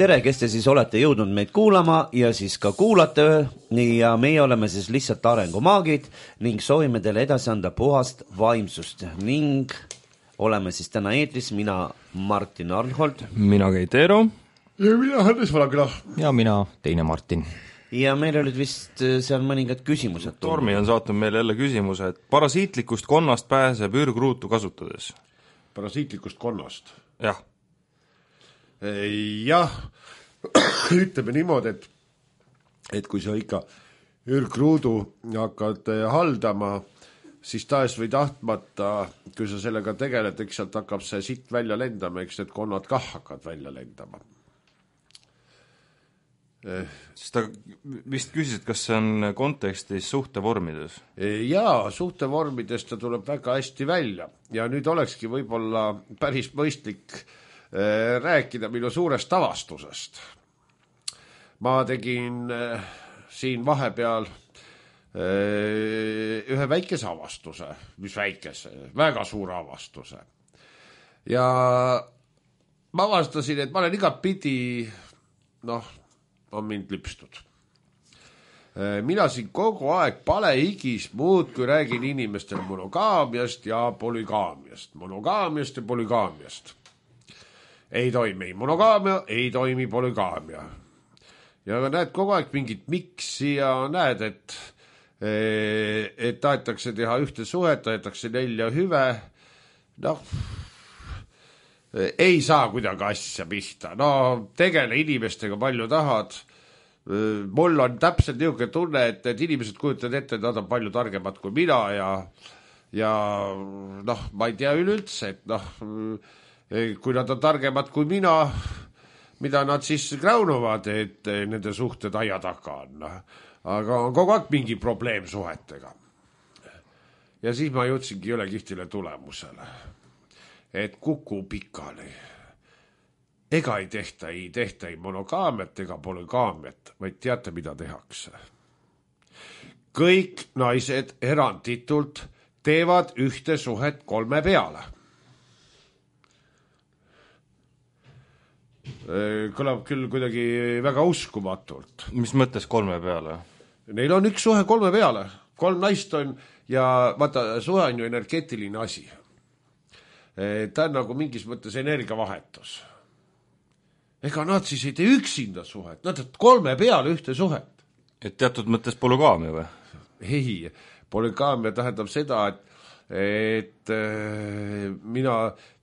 tere, kes te siis olete jõudnud meid kuulama ja siis ka kuulate ja meie oleme siis lihtsalt arengumaagid ning soovime teile edasi anda puhast vaimsust ning oleme siis täna eetris mina Martin Arnhold. Mina Keit Eero. Ja mina Hannes Valakla. Ja mina teine Martin. Ja meil olid vist seal mõningad küsimused. Tormi on saatnud meile jälle küsimuse, et parasiitlikust konnast pääseb ürgruutu kasutades. Parasiitlikust konnast? Jah. Jah, ütleme niimoodi, et kui sa ikka ürgruudu hakkad haldama, siis taes või tahtmata, kui sa sellega tegeled, eks sealt hakkab see sitt välja lendama, eks need konnad kah hakkad välja lendama. Sest ta vist küsis, et kas see on kontekstis suhtevormides? Jaa, suhtevormides ta tuleb väga hästi välja ja nüüd olekski võib-olla päris mõistlik rääkida minu suurest avastusest. Ma tegin siin vahepeal ühe väikese avastuse, mis väikese, väga suure avastuse. Ja ma avastasin, et ma olen igat pidi, on mind lipstud. Mina siin kogu aeg palehigis muudkui räägin inimestele monogaamiast ja polügaamiast. Monogaamiast ja polügaamiast. Ei toimi monogaamia, ei toimi polügaamia. Ja näed kogu aeg mingit miksi ja näed, et tahetakse teha ühte suhet, tahetakse 4 hüve. Ei saa kuidagi asja pihta. Tegele inimestega palju tahad. Mul on täpselt niisugune tunne, et inimesed kujutavad ette, et nad on palju targemad kui mina ja ma ei tea üleüldse, et kui nad on targemad kui mina, mida nad siis kräunuvad, et nende suhted aia taga on. Aga on kogu aeg mingi probleem suhetega. Ja siis ma jõudsingi üle kihtile tulemusele, et kuku pikali. Ega ei tehta ei monogaamiat ega polügaamiat, vaid teate, mida tehakse. Kõik naised eranditult teevad ühte suhet 3 peale. Kõlab küll kuidagi väga uskumatult. Mis mõttes 3 peale? Neil on üks suhe 3 peale. 3 naist on ja vaata, suhe on ju energeetiline asi. Ta on nagu mingis mõttes energiavahetus. Ega nad siis ei tee üksinda suhet, nad teevad 3 peale ühte suhet. Et teatud mõttes polügaamia või? Ei, polügaamia tähendab seda, et mina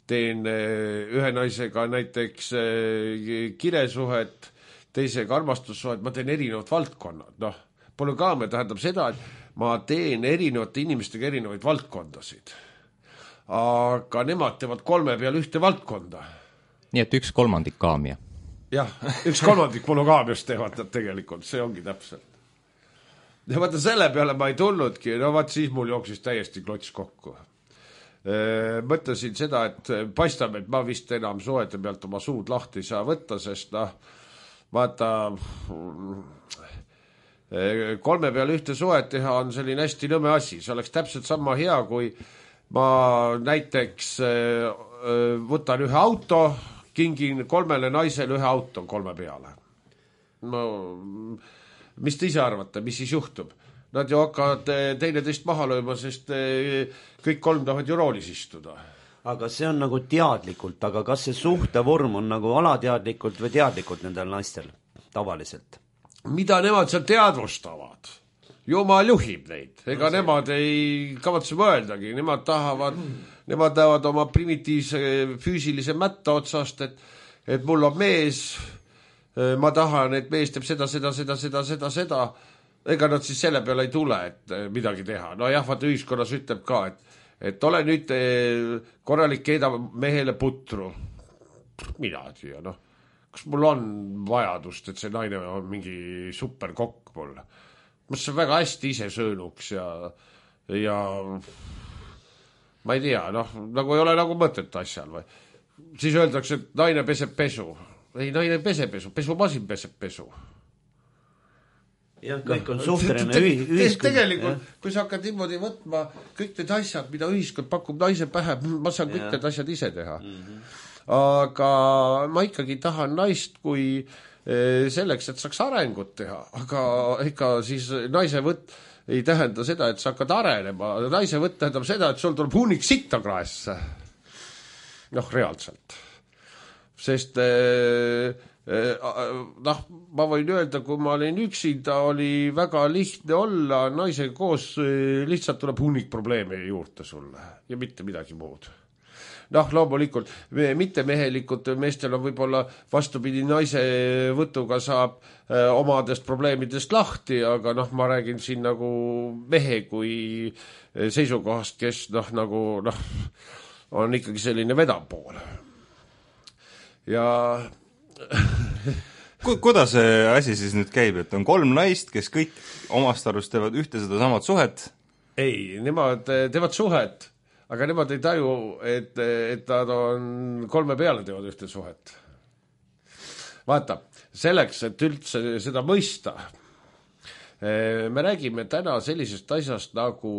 teen ühe naisega näiteks kiresuhet, teisega armastussuhet, ma teen erinevad valdkonnad. Polügaamia tähendab seda, et ma teen erinevate inimestega erinevaid valdkondasid. Aga nemad teevad 3 peale ühte valdkonda. Nii et 1/3 kaamia. Jah, 1/3 monogaamiast teevad nad tegelikult, see ongi täpselt. Ja vaata, selle peale ma ei tulnudki, siis mul jooksis täiesti klots kokku. Mõtlesin seda, et paistab, et ma vist enam suhete pealt oma suud lahti ei saa võtta, sest vaata 3 peale ühte suhet teha on selline hästi nõme asi. See oleks täpselt sama hea, kui ma näiteks võtan ühe auto, kingin 3 naisele ühe auto 3 peale. Mis te ise arvate, mis siis juhtub? Nad ju hakkavad teineteist maha lööma, sest kõik 3 tahavad ju roolis istuda. Aga see on nagu teadlikult, aga kas see suhtevorm on nagu alateadlikult või teadlikult nendel naistel tavaliselt? Mida nemad seal teadvustavad? Jumal juhib neid. Ega nemad ei kavatse mõeldagi. Nemad tahavad oma primitiivse füüsilise mätta otsast, et mul on mees, ma tahan, et mees teeb seda. Ega nad siis selle peale ei tule, et midagi teha. Jah, vaata ühiskonnas ütleb ka, et ole nüüd korralik keeda mehele putru. Mina siia, kas mul on vajadust, et see naine on mingi superkokk mul? Mas see väga hästi ise söönuks ja ma ei tea, nagu ei ole nagu mõtet asjal või. Siis öeldakse, et naine peseb pesu. Ei, naine peseb pesu, pesumasin peseb pesu. Ja kõik on suhteline ühiskond. Tegelikult, kui sa hakkad niimoodi võtma kõik need asjad, mida ühiskond pakub naise pähe, ma saan kõik need asjad ise teha. aga ma ikkagi tahan naist kui selleks, et saaks arengut teha, aga ega siis naise võtt ei tähenda seda, et sa hakkad arenema. Naise võtt tähendab seda, et sul tuleb hunnik sitta kraesse. Reaalselt. Sest ma võin öelda, kui ma olin üksinda, oli väga lihtne olla naisega koos, lihtsalt tuleb hunnik probleeme juurde sulle ja mitte midagi muud. Loomulikult, mitte mehelikult meestel on võib-olla vastupidi, naise võtuga saab omadest probleemidest lahti, aga ma räägin siin nagu mehe kui seisukohast, kes on ikkagi selline vedapool. Ja kuidas see asi siis nüüd käib, et on 3 naist, kes kõik omast arust teevad ühte seda samad suhet? Ei, nemad teevad suhet, aga nemad ei taju, et nad on 3 peale teevad ühte suhet. Vaata, selleks, et üldse seda mõista, me räägime täna sellisest asjast nagu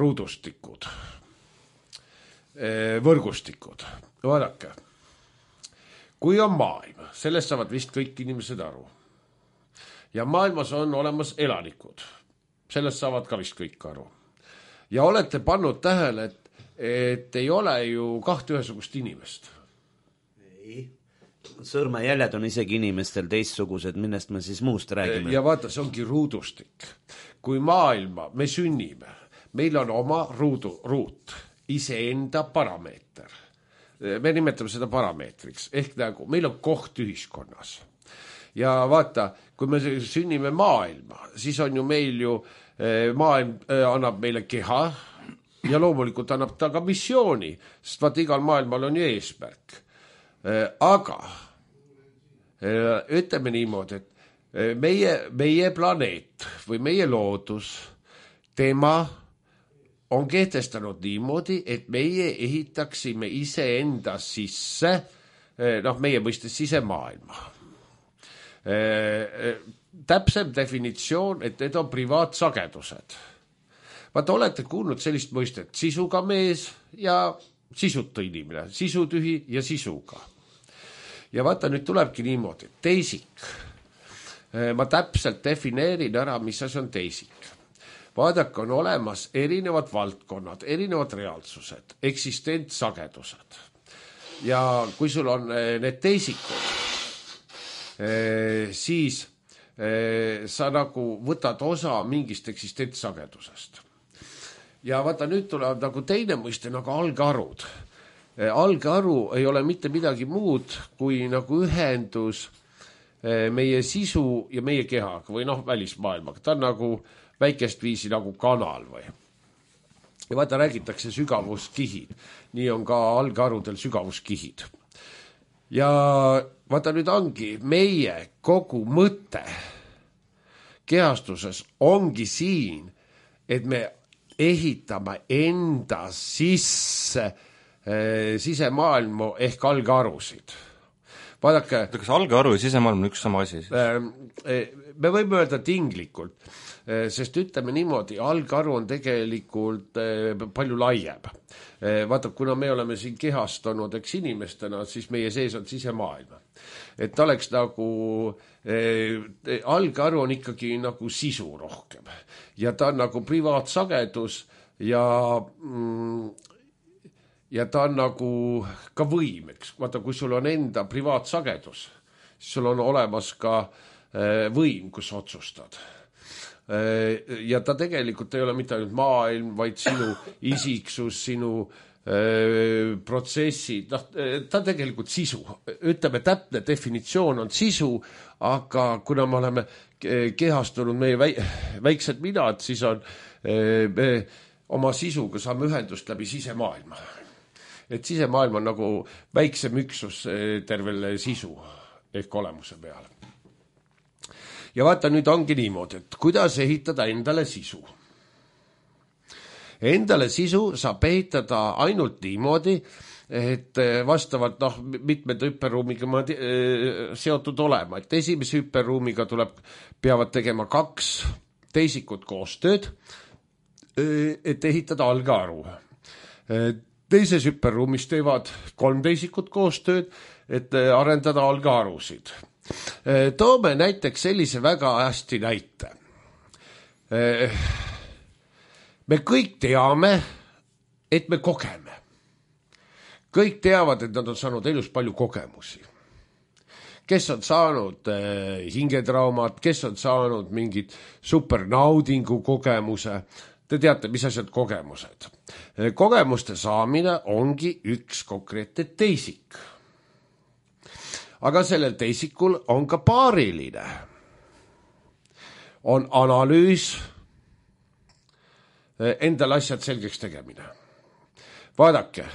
ruudustikud, võrgustikud. Vaadake, kui on maailm, sellest saavad vist kõik inimesed aru. Ja maailmas on olemas elanikud, sellest saavad ka vist kõik aru. Ja olete pannud tähele, et ei ole ju 2 ühesugust inimest. Ei. Sõrmejäljed on isegi inimestel teistsugused, millest me siis muust räägime. Ja vaata, see ongi ruudustik. Kui maailma me sünnime, meil on oma ruut, iseenda parameeter. Me nimetame seda parameetriks, ehk nagu meil on koht ühiskonnas. Ja vaata, kui me sünnime maailma, siis on ju meil ju maailm annab meile keha ja loomulikult annab ta ka missiooni, sest vaata, igal maailmal on ju eesmärk. Aga ütleme niimoodi, et meie planeet või meie loodus, tema on kehtestanud niimoodi, et meie ehitaksime iseenda sisse, meie mõistes sisemaailma. Täpsem definitsioon, et need on privaatsagedused. Vaata, olete kuulnud sellist mõistet, sisuga mees ja sisuta inimene, sisutühi ja sisuga. Ja vaata, nüüd tulebki niimoodi, teisik. Ma täpselt defineerin ära, mis asi on teisik. Vaadake, on olemas erinevad valdkonnad, erinevad reaalsused, eksistentsagedused. Ja kui sul on need teisikud, siis sa nagu võtad osa mingist eksistentsagedusest. Ja vaata, nüüd tuleb nagu teine mõiste, nagu algarud. Algaru ei ole mitte midagi muud kui nagu ühendus meie sisu ja meie kehaga või välismaailmaga. Ta on nagu väikest viisi nagu kanal või. Ja vaata, räägitakse sügavuskihid. Nii on ka algarudel sügavuskihid. Ja vaata, nüüd ongi meie kogu mõte kehastuses ongi siin, et me ehitame enda sisse sisemaailmu ehk algarusid. Vaadake, kas algaru ja sisemaailm on üks sama asi? Me võime öelda tinglikult, sest ütleme niimoodi, algaru on tegelikult palju laiem. Vaata, kuna me oleme siin kehastunud inimestena, siis meie sees on sisemaailm. Et oleks nagu, algaru on ikkagi nagu sisu rohkem. Ja ta on nagu privaatsagedus ja ta on nagu ka võimeks. Vaata, kui sul on enda privaatsagedus, siis sul on olemas ka võim, kus otsustad. Ja ta tegelikult ei ole mitte ainult maailm, vaid sinu isiksus, sinu protsessid, ta tegelikult sisu. Ütleme, täpne definitsioon on sisu, aga kuna me oleme kehastunud meie väiksed minad, siis on oma sisuga saame ühendust läbi sisemaailma. Et sisemaailm on nagu väiksem üksus tervele sisu ehk olemuse peale. Ja vaata, nüüd ongi niimoodi, et kuidas ehitada endale sisu. Endale sisu saab ehitada ainult niimoodi, et vastavalt mitmed hüperruumiga seotud olema. Et esimese hüperruumiga peavad tegema 2 teisikut koostööd, et ehitada algaru. teises hüperruumis teevad 3 teisikut koostööd, et arendada algearusid. Toome näiteks sellise väga hästi näite. Me kõik teame, et me kogeme. Kõik teavad, et nad on saanud elus palju kogemusi. Kes on saanud hingetraumat, kes on saanud mingid supernaudingu kogemuse. Te teate, mis asjad kogemused. Kogemuste saamine ongi üks konkreetne teisik. Aga sellel teisikul on ka paariline. On analüüs, endal asjad selgeks tegemine. Vaadake,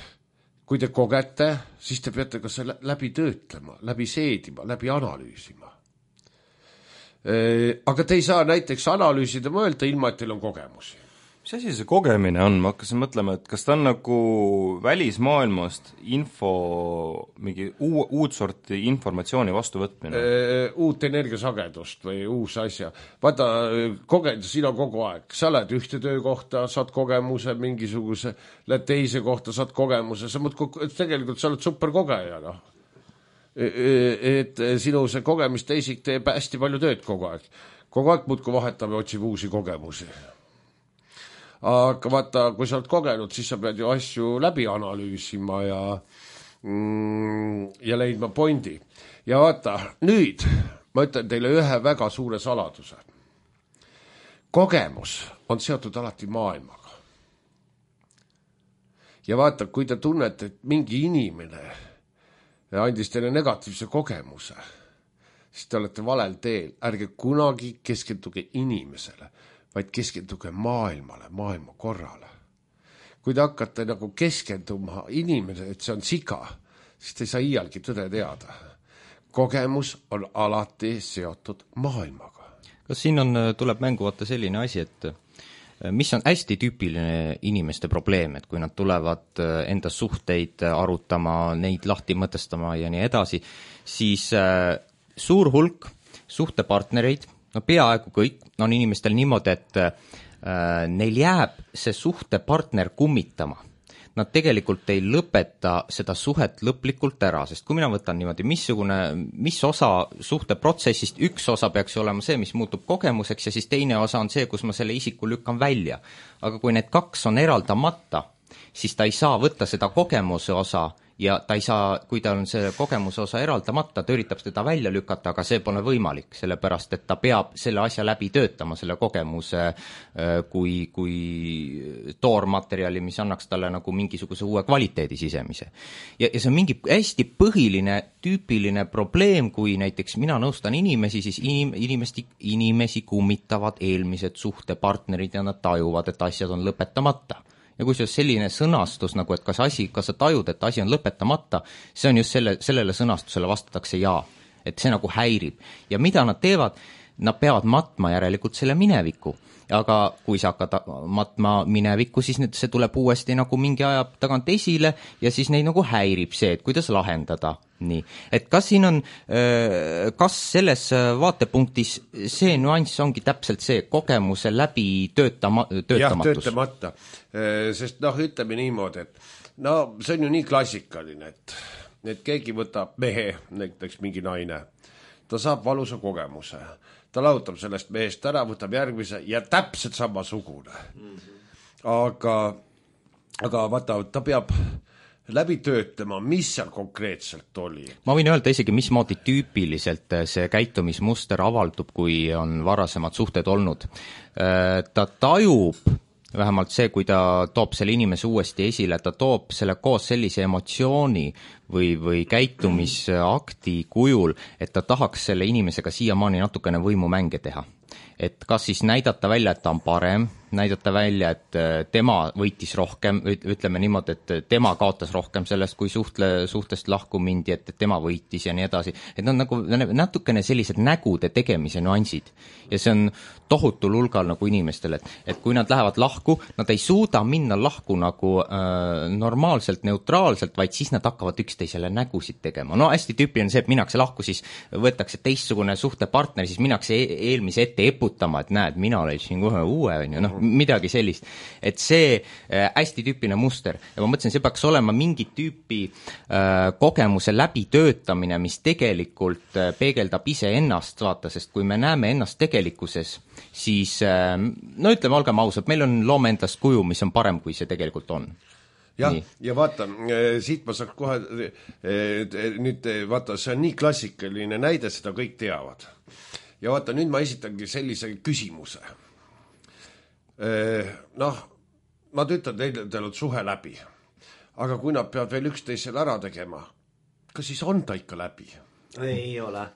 kui te kogete, siis te peate ka selle läbi töötlema, läbi seedima, läbi analüüsima. Aga te ei saa näiteks analüüsida mõelda, ilma et teil on kogemusi. Mis asi see kogemine on? Ma hakkasin mõtlema, et kas ta on nagu välismaailmast info, mingi uut sorti informatsiooni vastuvõtmine? Uut energiasagedust või uus asja. Vaata, siin on kogu aeg. Sa lähed ühte töökohta, saad kogemuse mingisuguse, lähed teise kohta, saad kogemuse. Tegelikult sa oled superkogeja, noh. Et sinu see kogemusteisik teeb hästi palju tööd kogu aeg. Kogu aeg muudku vahetab ja otsib uusi kogemusi. Aga vaata, kui sa oled kogenud, siis sa pead ju asju läbi analüüsima ja leidma pointi. Ja vaata, nüüd ma ütlen teile ühe väga suure saladuse. Kogemus on seotud alati maailmaga. Ja vaata, kui te tunnete, et mingi inimene andis teile negatiivse kogemuse, siis te olete valel teel. Ärge kunagi keskenduge inimesele, vaid keskenduge maailmale, maailma korrale. Kui te hakkate nagu keskenduma inimene, et see on siga, siis te ei saa iialgi tõde teada. Kogemus on alati seotud maailmaga. Kas siin tuleb mängu vaata selline asi, et mis on hästi tüüpiline inimeste probleem, et kui nad tulevad enda suhteid arutama, neid lahti mõtestama ja nii edasi, siis suur hulk suhtepartnereid, no peaaegu kõik on inimestel niimoodi, et neil jääb see suhtepartner kummitama. Nad tegelikult ei lõpeta seda suhet lõplikult ära, sest kui mina võtan niimoodi, mis osa suhteprotsessist, üks osa peaks olema see, mis muutub kogemuseks ja siis teine osa on see, kus ma selle isiku lükkan välja. Aga kui need kaks on eraldamata, siis ta ei saa võtta seda kogemuse osa ja ta ei saa, kui ta on see kogemuse osa eraldamata, ta üritab seda välja lükata, aga see pole võimalik, sellepärast et ta peab selle asja läbi töötama, selle kogemuse kui toormaterjali, mis annaks talle nagu mingisuguse uue kvaliteedi sisemise. Ja see on mingi hästi põhiline, tüüpiline probleem, kui näiteks mina nõustan inimesi, siis inimesi kummitavad eelmised suhtepartnerid ja nad tajuvad, et asjad on lõpetamata. Ja kui see on selline sõnastus, nagu et kas sa tajud, et asi on lõpetamata, see on just sellele sõnastusele vastatakse jaa, et see nagu häirib. Ja mida nad teevad? Nad peavad matma järelikult selle mineviku. Aga kui sa hakkad matma minevikku, siis see tuleb uuesti nagu mingi aja tagant esile ja siis neid nagu häirib see, et kuidas lahendada. Nii. Et kas siin on, kas selles vaatepunktis see nüanss ongi täpselt see kogemuse läbi töötamatus? Jah, töötamata. Sest ütleme niimoodi, et see on ju nii klassikaline, et keegi võtab mehe, näiteks mingi naine, ta saab valusa kogemuse, ta lahutab sellest mehest ära, võtab järgmise ja täpselt samasugune. Aga vaata, ta peab läbi töötlema, mis seal konkreetselt oli. Ma võin öelda isegi, mismoodi tüüpiliselt see käitumismuster avaldub, kui on varasemad suhted olnud. Ta tajub, vähemalt see, kui ta toob selle inimese uuesti esile, ta toob selle koos sellise emotsiooni või käitumisakti kujul, et ta tahaks selle inimesega siiamaani natukene võimumänge teha. Et kas siis näidata välja, et ta on parem, näidata välja, et tema võitis rohkem, ütleme niimoodi, et tema kaotas rohkem sellest, kui suhtest lahku mindi, et tema võitis ja nii edasi. Et nad nagu natukene sellised nägude tegemise nüansid. Ja see on tohutul hulgal nagu inimestel, et kui nad lähevad lahku, nad ei suuda minna lahku nagu normaalselt, neutraalselt, vaid siis nad hakkavad üksteisele nägusid tegema. No hästi tüüpiline see, et minnakse lahku, siis võetakse teistsugune suhtepartner, siis minnakse eelmise ette eputama, et näed, mina leidsin kohe uue, on ju, noh, midagi sellist. Et see hästi tüüpiline muster ja ma mõtlesin, see peaks olema mingit tüüpi kogemuse läbitöötamine, mis tegelikult peegeldab iseennast, vaata, sest kui me näeme ennast tegelikkuses, siis no ütleme, olgem ausad, meil on loome endast kuju, mis on parem, kui see tegelikult on. Jah, ja vaata, siit ma saaks kohe, nüüd vaata, see on nii klassikaline näide, seda kõik teavad. Ja vaata, nüüd ma esitangi sellise küsimuse. Noh, nad ütlevad, teil on suhe läbi, aga kui nad peavad veel üksteisel ära tegema, kas siis on ta ikka läbi? Ei ole.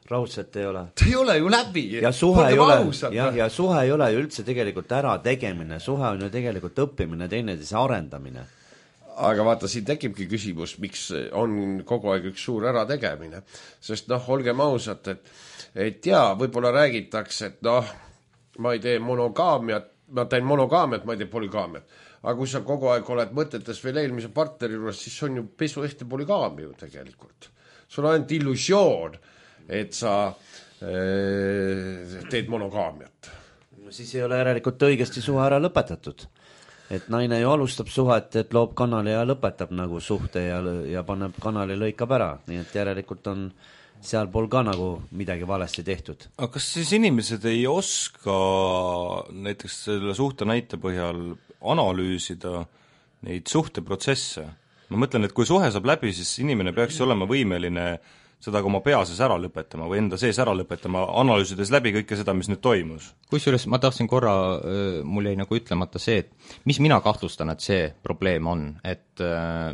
Raudselt ei ole. Ta ei ole ju läbi. Ja suhe ei ole, ja suhe ei ole ju üldse tegelikult ära tegemine. Suhe on ju tegelikult õppimine, teineteise arendamine. Aga vaata, siin tekibki küsimus, miks on kogu aeg üks suur ära tegemine. Sest noh, olgem ausad, et jaa, võib-olla räägitakse, et noh, ma ei tee monogaamiat, ma teen monogaamiat, ma ei tee polygaamiat. Aga kui sa kogu aeg oled mõtetes veel eelmise partneri juures, siis on ju pesuehte polygaamia ju tegelikult. Sul on ainult illusioon, et sa teed monogaamiat. Siis ei ole järelikult õigesti suhe ära lõpetatud. Et naine ju alustab suhet, et loob kanali ja lõpetab nagu suhte ja paneb kanali lõikab ära. Nii et järelikult on seal pool ka nagu midagi valesti tehtud. Aga kas siis inimesed ei oska näiteks selle suhte näite põhjal analüüsida neid suhteprotsesse? Ma mõtlen, et kui suhe saab läbi, siis inimene peaks olema võimeline seda ka oma peases ära lõpetama või enda sees ära lõpetama, analüüsides läbi kõike seda, mis nüüd toimus. Kusjuures ma tahtsin korra, mul jäi nagu ütlemata see, et mis mina kahtlustan, et see probleem on, et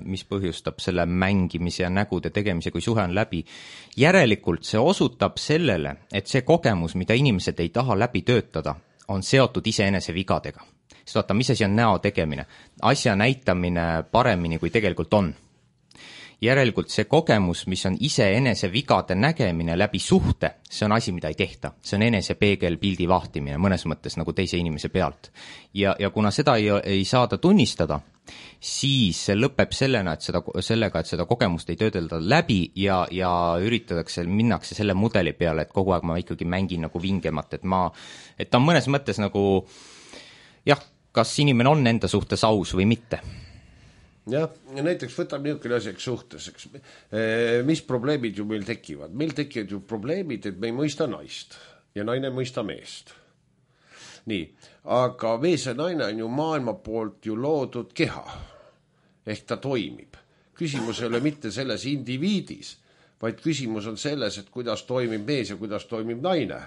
mis põhjustab selle mängimise ja nägude tegemise, kui suhe on läbi. Järelikult see osutab sellele, et see kogemus, mida inimesed ei taha läbi töötada, on seotud iseenese vigadega. Sest vaata, mis asi on näo tegemine? Asja näitamine paremini, kui tegelikult on. Järelikult see kogemus, mis on iseenese vigade nägemine läbi suhte, see on asi, mida ei tehta. See on enese peegel pildi vahtimine, mõnes mõttes nagu teise inimese pealt. Ja kuna seda ei saada tunnistada, siis see lõpeb sellega, et seda kogemust ei töödelda läbi ja üritatakse, minnakse selle mudeli peale, et kogu aeg ma ikkagi mängin nagu vingemat, et ta on mõnes mõttes nagu jah, kas inimene on enda suhtes aus või mitte. Jah, ja näiteks võtab niisugune asjaks suhtes, eks. Mis probleemid ju meil tekivad? Meil tekivad ju probleemid, et me ei mõista naist ja naine mõista meest. Nii, aga mees ja naine on ju maailma poolt ju loodud keha. Ehk ta toimib. Küsimus ei ole mitte selles indiviidis, vaid küsimus on selles, et kuidas toimib mees ja kuidas toimib naine.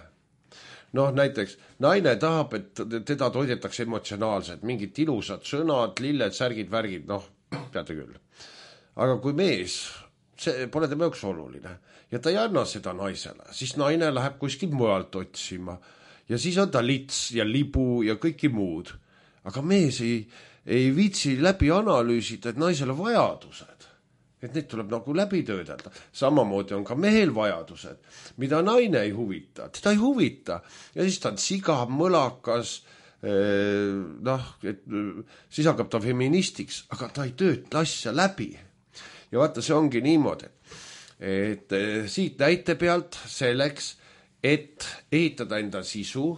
Noh, näiteks naine tahab, et teda toidetakse emotsionaalselt, mingid ilusad sõnad, lilled, särgid, värgid, noh, peate küll. Aga kui mees, see pole tema jaoks oluline ja ta ei anna seda naisele, siis naine läheb kuskil mujalt otsima ja siis on ta lits ja libu ja kõiki muud. Aga mees ei viitsi läbi analüüsida, et naisele vajadused, et neid tuleb nagu läbi töödelda. Samamoodi on ka mehel vajadused, mida naine ei huvita, teda ei huvita ja siis ta on siga, mõlakas, noh, et siis hakkab ta feministiks, aga ta ei tööta asja läbi. Ja vaata, see ongi niimoodi, et siit näite pealt selleks, et ehitada enda sisu,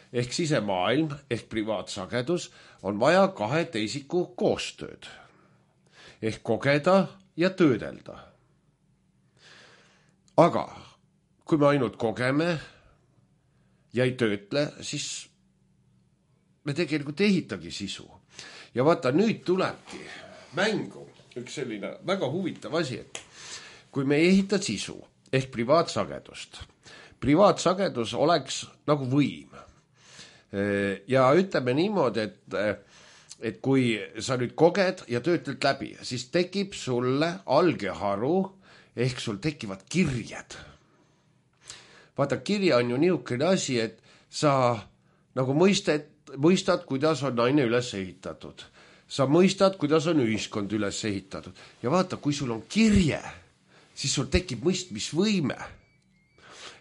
ehk sisemaailm, ehk privaatsagedus, on vaja kahe teisiku koostööd. Ehk kogeda ja töödelda. Aga kui me ainult kogeme ja ei töötle, siis me tegelikult ehitagi sisu. Ja vaata, nüüd tulebki mängu üks selline väga huvitav asi, et kui me ei ehita sisu ehk privaatsagedus oleks nagu võim. Ja ütleme niimoodi, et kui sa nüüd koged ja töötled läbi, siis tekib sulle algeharu ehk sul tekivad kirjed. Vaata, kirja on ju niisugune asi, et sa nagu mõistad, kuidas on naine üles ehitatud. Sa mõistad, kuidas on ühiskond üles ehitatud. Ja vaata, kui sul on kirje, siis sul tekib mõistmisvõime.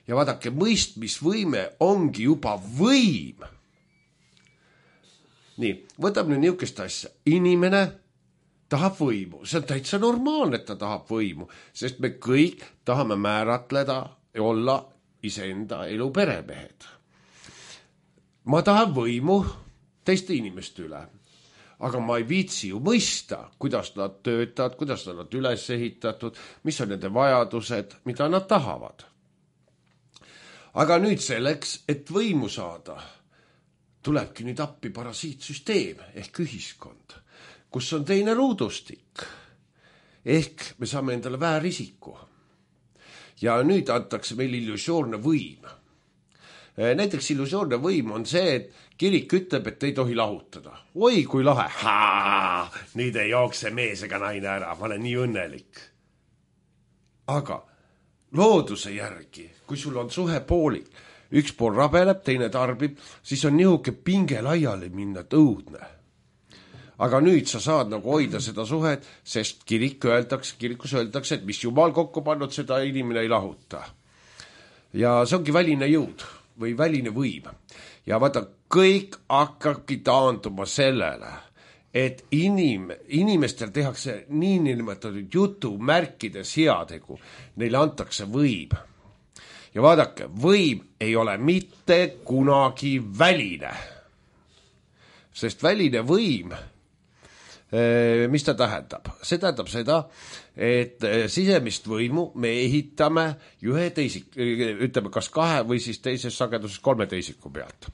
Ja vaadake, mõistmisvõime ongi juba võim. Nii, võtab nüüd niisugust asja. Inimene tahab võimu. See on täitsa normaalne, et ta tahab võimu, sest me kõik tahame määratleda ja olla iseenda elu peremehed. Ma tahan võimu teiste inimeste üle, aga ma ei viitsi ju mõista, kuidas nad töötavad, kuidas nad üles ehitatud, mis on nende vajadused, mida nad tahavad. Aga nüüd selleks, et võimu saada, tulebki nüüd appi parasiitsüsteem ehk ühiskond, kus on teine ruudustik. Ehk me saame endale väärisiku. Ja nüüd antakse meil illusioorne võim. Näiteks illusioorne võim on see, et kirik ütleb, et ei tohi lahutada. Oi, kui lahe. Nüüd ei jookse mees ega naine ära, ma olen nii õnnelik. Aga looduse järgi, kui sul on suhe poolik, üks pool rabeleb, teine tarbib, siis on nihuke pinge laiali minna õudne. Aga nüüd sa saad nagu hoida seda suhet, sest kirikus öeldakse, et mis jumal kokku pannud, seda inimene ei lahuta. Ja see ongi väline jõud või väline võim. Ja vaata, kõik hakkabki taanduma sellele, et inimestel tehakse niinimetatud jutumärkides heategu. Neile antakse võim. Ja vaadake, võim ei ole mitte kunagi väline. Sest väline võim, mis ta tähendab? See tähendab seda, et sisemist võimu me ehitame ühe ütleme kas 2 või siis teises sageduses 3 teisiku pealt.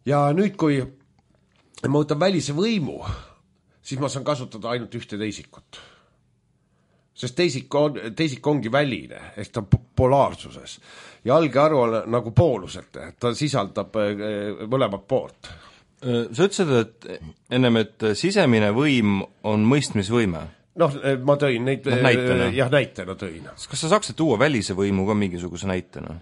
Ja nüüd, kui ma võtan välise võimu, siis ma saan kasutada ainult ühte teisikut. Sest teisik ongi väline, ehk ta on polaarsuses. Ja algearu on nagu poolusete, ta sisaldab mõlemat poolt. Sa ütlesid, et ennem, et sisemine võim on mõistmisvõime. Noh, ma tõin neid näitena. Jah, näitena tõin. Kas sa saaksid tuua välise võimu ka mingisuguse näitena?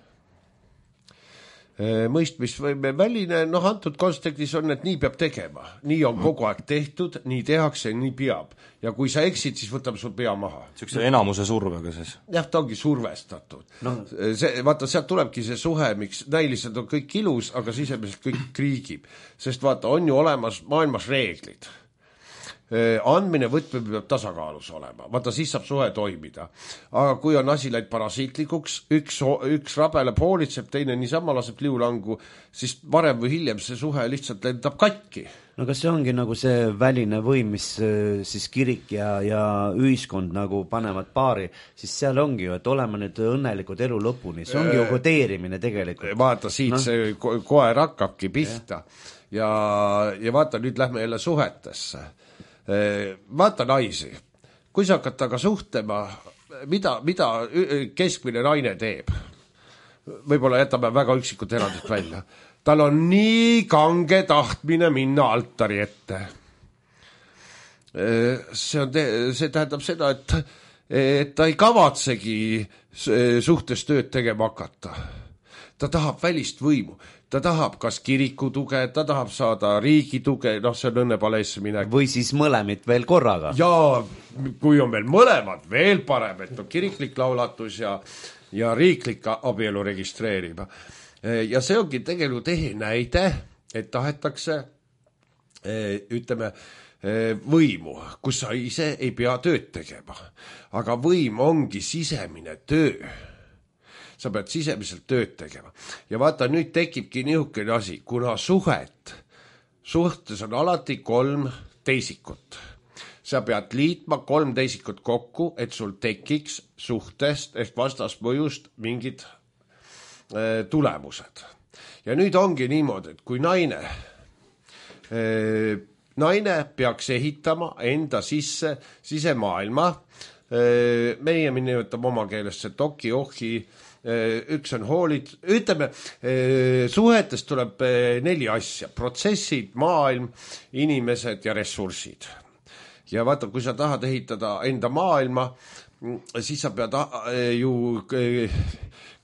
Mõistmisvõime väline, antud kontekstis on, et nii peab tegema. Nii on kogu aeg tehtud, nii tehakse, nii peab. Ja kui sa eksid, siis võtab sul pea maha. Sükse enamuse survega siis? Jah, ta ongi survestatud. Vaata, sealt tulebki see suhe, miks näiliselt on kõik ilus, aga sisemiselt kõik kriigib. Sest vaata, on ju olemas maailmas reeglid. Andmine võtme peab tasakaalus olema. Vaata, siis saab suhe toimida. Aga kui on asi läinud parasiitlikuks, üks rabele poolitseb, teine niisama laseb liulangu, siis varem või hiljem see suhe lihtsalt lendab katki. No kas see ongi nagu see väline võim, mis siis kirik ja ühiskond nagu panevad paari, siis seal ongi ju, et oleme nüüd õnnelikud elu lõpuni. See ongi ju kodeerimine tegelikult. Vaata, siit see koer hakkabki pihta. Ja vaata, nüüd lähme jälle suhetesse. Vaata naisi, kui sa hakkad taga suhtlema, mida keskmine naine teeb? Võib-olla jätame väga üksikud erandid välja. Tal on nii kange tahtmine minna altari ette. See tähendab seda, et ta ei kavatsegi suhtes tööd tegema hakata. Ta tahab välist võimu. Ta tahab kas kiriku tuge, ta tahab saada riigi tuge, see on õnnepaleesse minek. Või siis mõlemid veel korraga. Ja kui on veel mõlemad, veel parem, et on kiriklik laulatus ja riiklik abielu registreerima. Ja see ongi tegelikult näide, et tahetakse, ütleme, võimu, kus sa ise ei pea tööd tegema. Aga võim ongi sisemine töö. Sa pead sisemiselt tööd tegema. Ja vaata, nüüd tekibki niisugune asi, kuna suhtes on alati 3 teisikut. Sa pead liitma 3 teisikut kokku, et sul tekiks suhtest ehk vastasmõjust mingid tulemused. Ja nüüd ongi niimoodi, et kui naine peaks ehitama enda sisemaailma, meie nimetame oma keeles see toki-ohi, üks on hoolid, ütleme, suhetest tuleb 4 asja, protsessid, maailm, inimesed ja ressursid. Ja vaata, kui sa tahad ehitada enda maailma, siis sa pead ju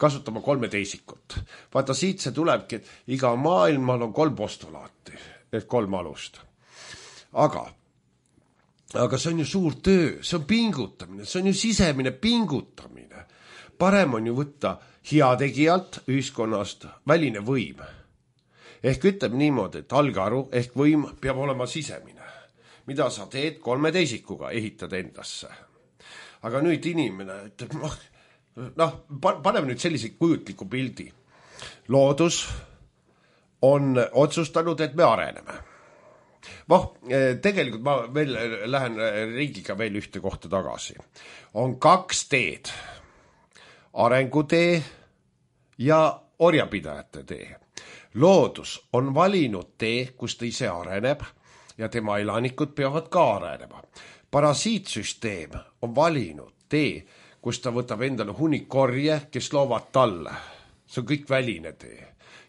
kasutama 3 teisikut. Vaata, siit see tulebki, et iga maailmal on 3 postulaati, et 3 alust. Aga see on ju suur töö, see on pingutamine, see on ju sisemine pingutamine. Parem on ju võtta heategijalt ühiskonnast väline võim. Ehk ütleb niimoodi, et algaru ehk võim peab olema sisemine. Mida sa teed 3 teisikuga, ehitad endasse. Aga nüüd inimene ütleb, noh, paneme nüüd sellise kujutliku pildi. Loodus on otsustanud, et me areneme. Tegelikult ma veel lähen riigiga veel ühte kohta tagasi. On 2 teed. Arengutee ja orjapidajate tee. Loodus on valinud tee, kus ta ise areneb ja tema elanikud peavad ka arenema. Parasiitsüsteem on valinud tee, kus ta võtab endale hunnikorje, kes loovad talle. See on kõik väline tee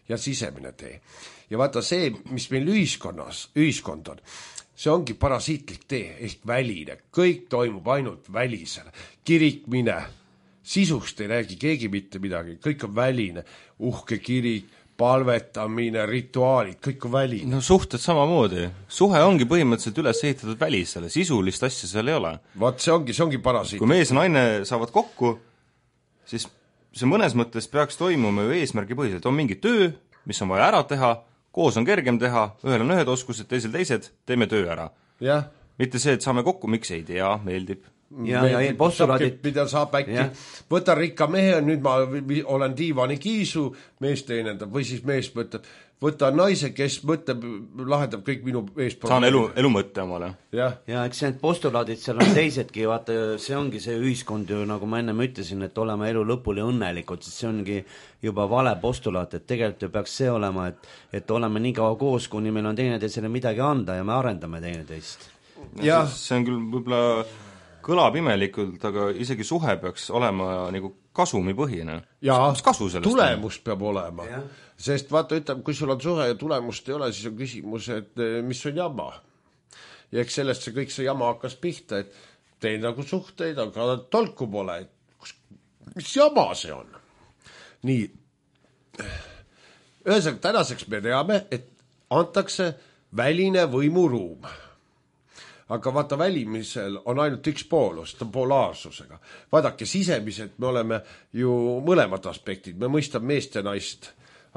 ja sisemine tee. Ja vaata see, mis meil ühiskond on, see ongi parasiitlik tee ehk väline. Kõik toimub ainult välisele. Kirik mine, sisust ei räägi keegi mitte midagi, kõik on väline. Uhke kirik, palvetamine, rituaalid, kõik on väline. No suhted samamoodi. Suhe ongi põhimõtteliselt üles ehitatud välisele, sisulist asja seal ei ole. Vaat see ongi parasiit. Kui mees ja naine saavad kokku, siis see mõnes mõttes peaks toimuma ju eesmärgipõhiselt. On mingi töö, mis on vaja ära teha, koos on kergem teha, ühel on ühed oskused, teised, teeme töö ära. Jah. Mitte see, et saame kokku, miks ei tea, meeldib. Ja postulaadid. Mida saab äkki, võta rikka mehe, nüüd ma olen diivani kiisu, mees teenendab, või siis mees mõtleb, võta naise, kes mõtleb, lahendab kõik minu ees. Saan elu mõtte omale. Ja eks need postulaadid seal on teisedki, vaata, see ongi see ühiskond ju, nagu ma ennem ütlesin, et olema elu lõpuni õnnelikud, siis see ongi juba vale postulaat, et tegelikult ju peaks see olema, et oleme nii kaua koos, kuni meil on teineteisele midagi anda ja me arendame teineteist. See on küll võib-olla kõlab imelikult, aga isegi suhe peaks olema nagu kasumipõhine. Jaa, kasu sellest tulemust peab olema. Ja. Sest vaata, ütleb, kui sul on suhe ja tulemust ei ole, siis on küsimus, et mis on jama. Ja eks sellest see kõik see jama hakkas pihta, et teil nagu suhteid, aga tolku pole, et mis jama see on. Nii, ühesõnaga tänaseks me teame, et antakse väline võimuruum. Aga vaata, välimisel on ainult üks poolus, ta on polaarsusega. Vaadake, sisemiselt me oleme ju mõlemad aspektid, me mõistame meest ja naist.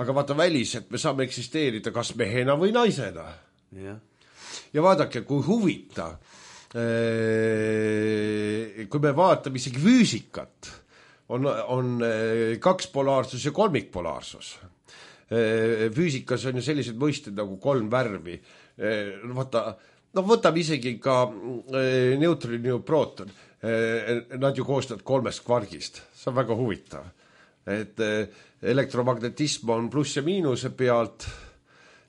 Aga vaata, väliselt me saame eksisteerida kas mehena või naisena. Ja vaadake, kui huvitav, kui me vaatame isegi füüsikat, on 2 polaarsus ja 3 polaarsus. Füüsikas on ju sellised mõisted nagu 3 värvi. Vaata, võtame isegi ka neutron ja prooton. Nad ju koostavad 3 kvargist. See on väga huvitav. Et elektromagnetism on pluss ja miinuse pealt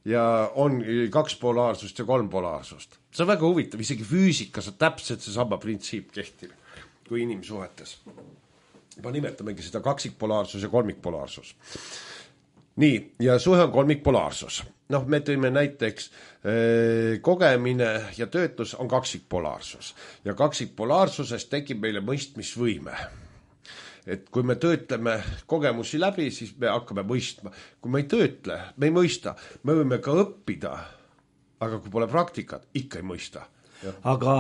ja on 2 polaarsust ja 3 polaarsust. See on väga huvitav. Isegi füüsikas on täpselt see sama printsiip kehtib kui inimsuhetes. Ma nimetamegi seda 2 polaarsus ja 3 polaarsus. Nii, ja suhe on 3 polaarsus. Me tõime näiteks kogemine ja töötlus on 2 polaarsus. Ja 2 polaarsusest tekib meile mõistmisvõime. Et kui me töötleme kogemusi läbi, siis me hakkame mõistma. Kui me ei töötle, me ei mõista. Me võime ka õppida, aga kui pole praktikat, ikka ei mõista. Ja. Aga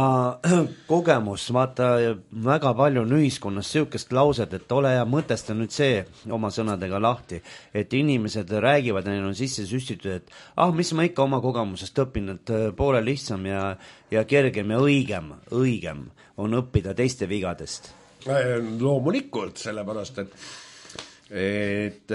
kogemus, vaata, väga palju on ühiskonnas siukest lauset, et ole ja mõtesta nüüd see oma sõnadega lahti, et inimesed räägivad, neil on sisse süstitud, et mis ma ikka oma kogemusest õpin, et poole lihtsam ja kergem ja õigem on õppida teiste vigadest. Loomulikult, sellepärast, et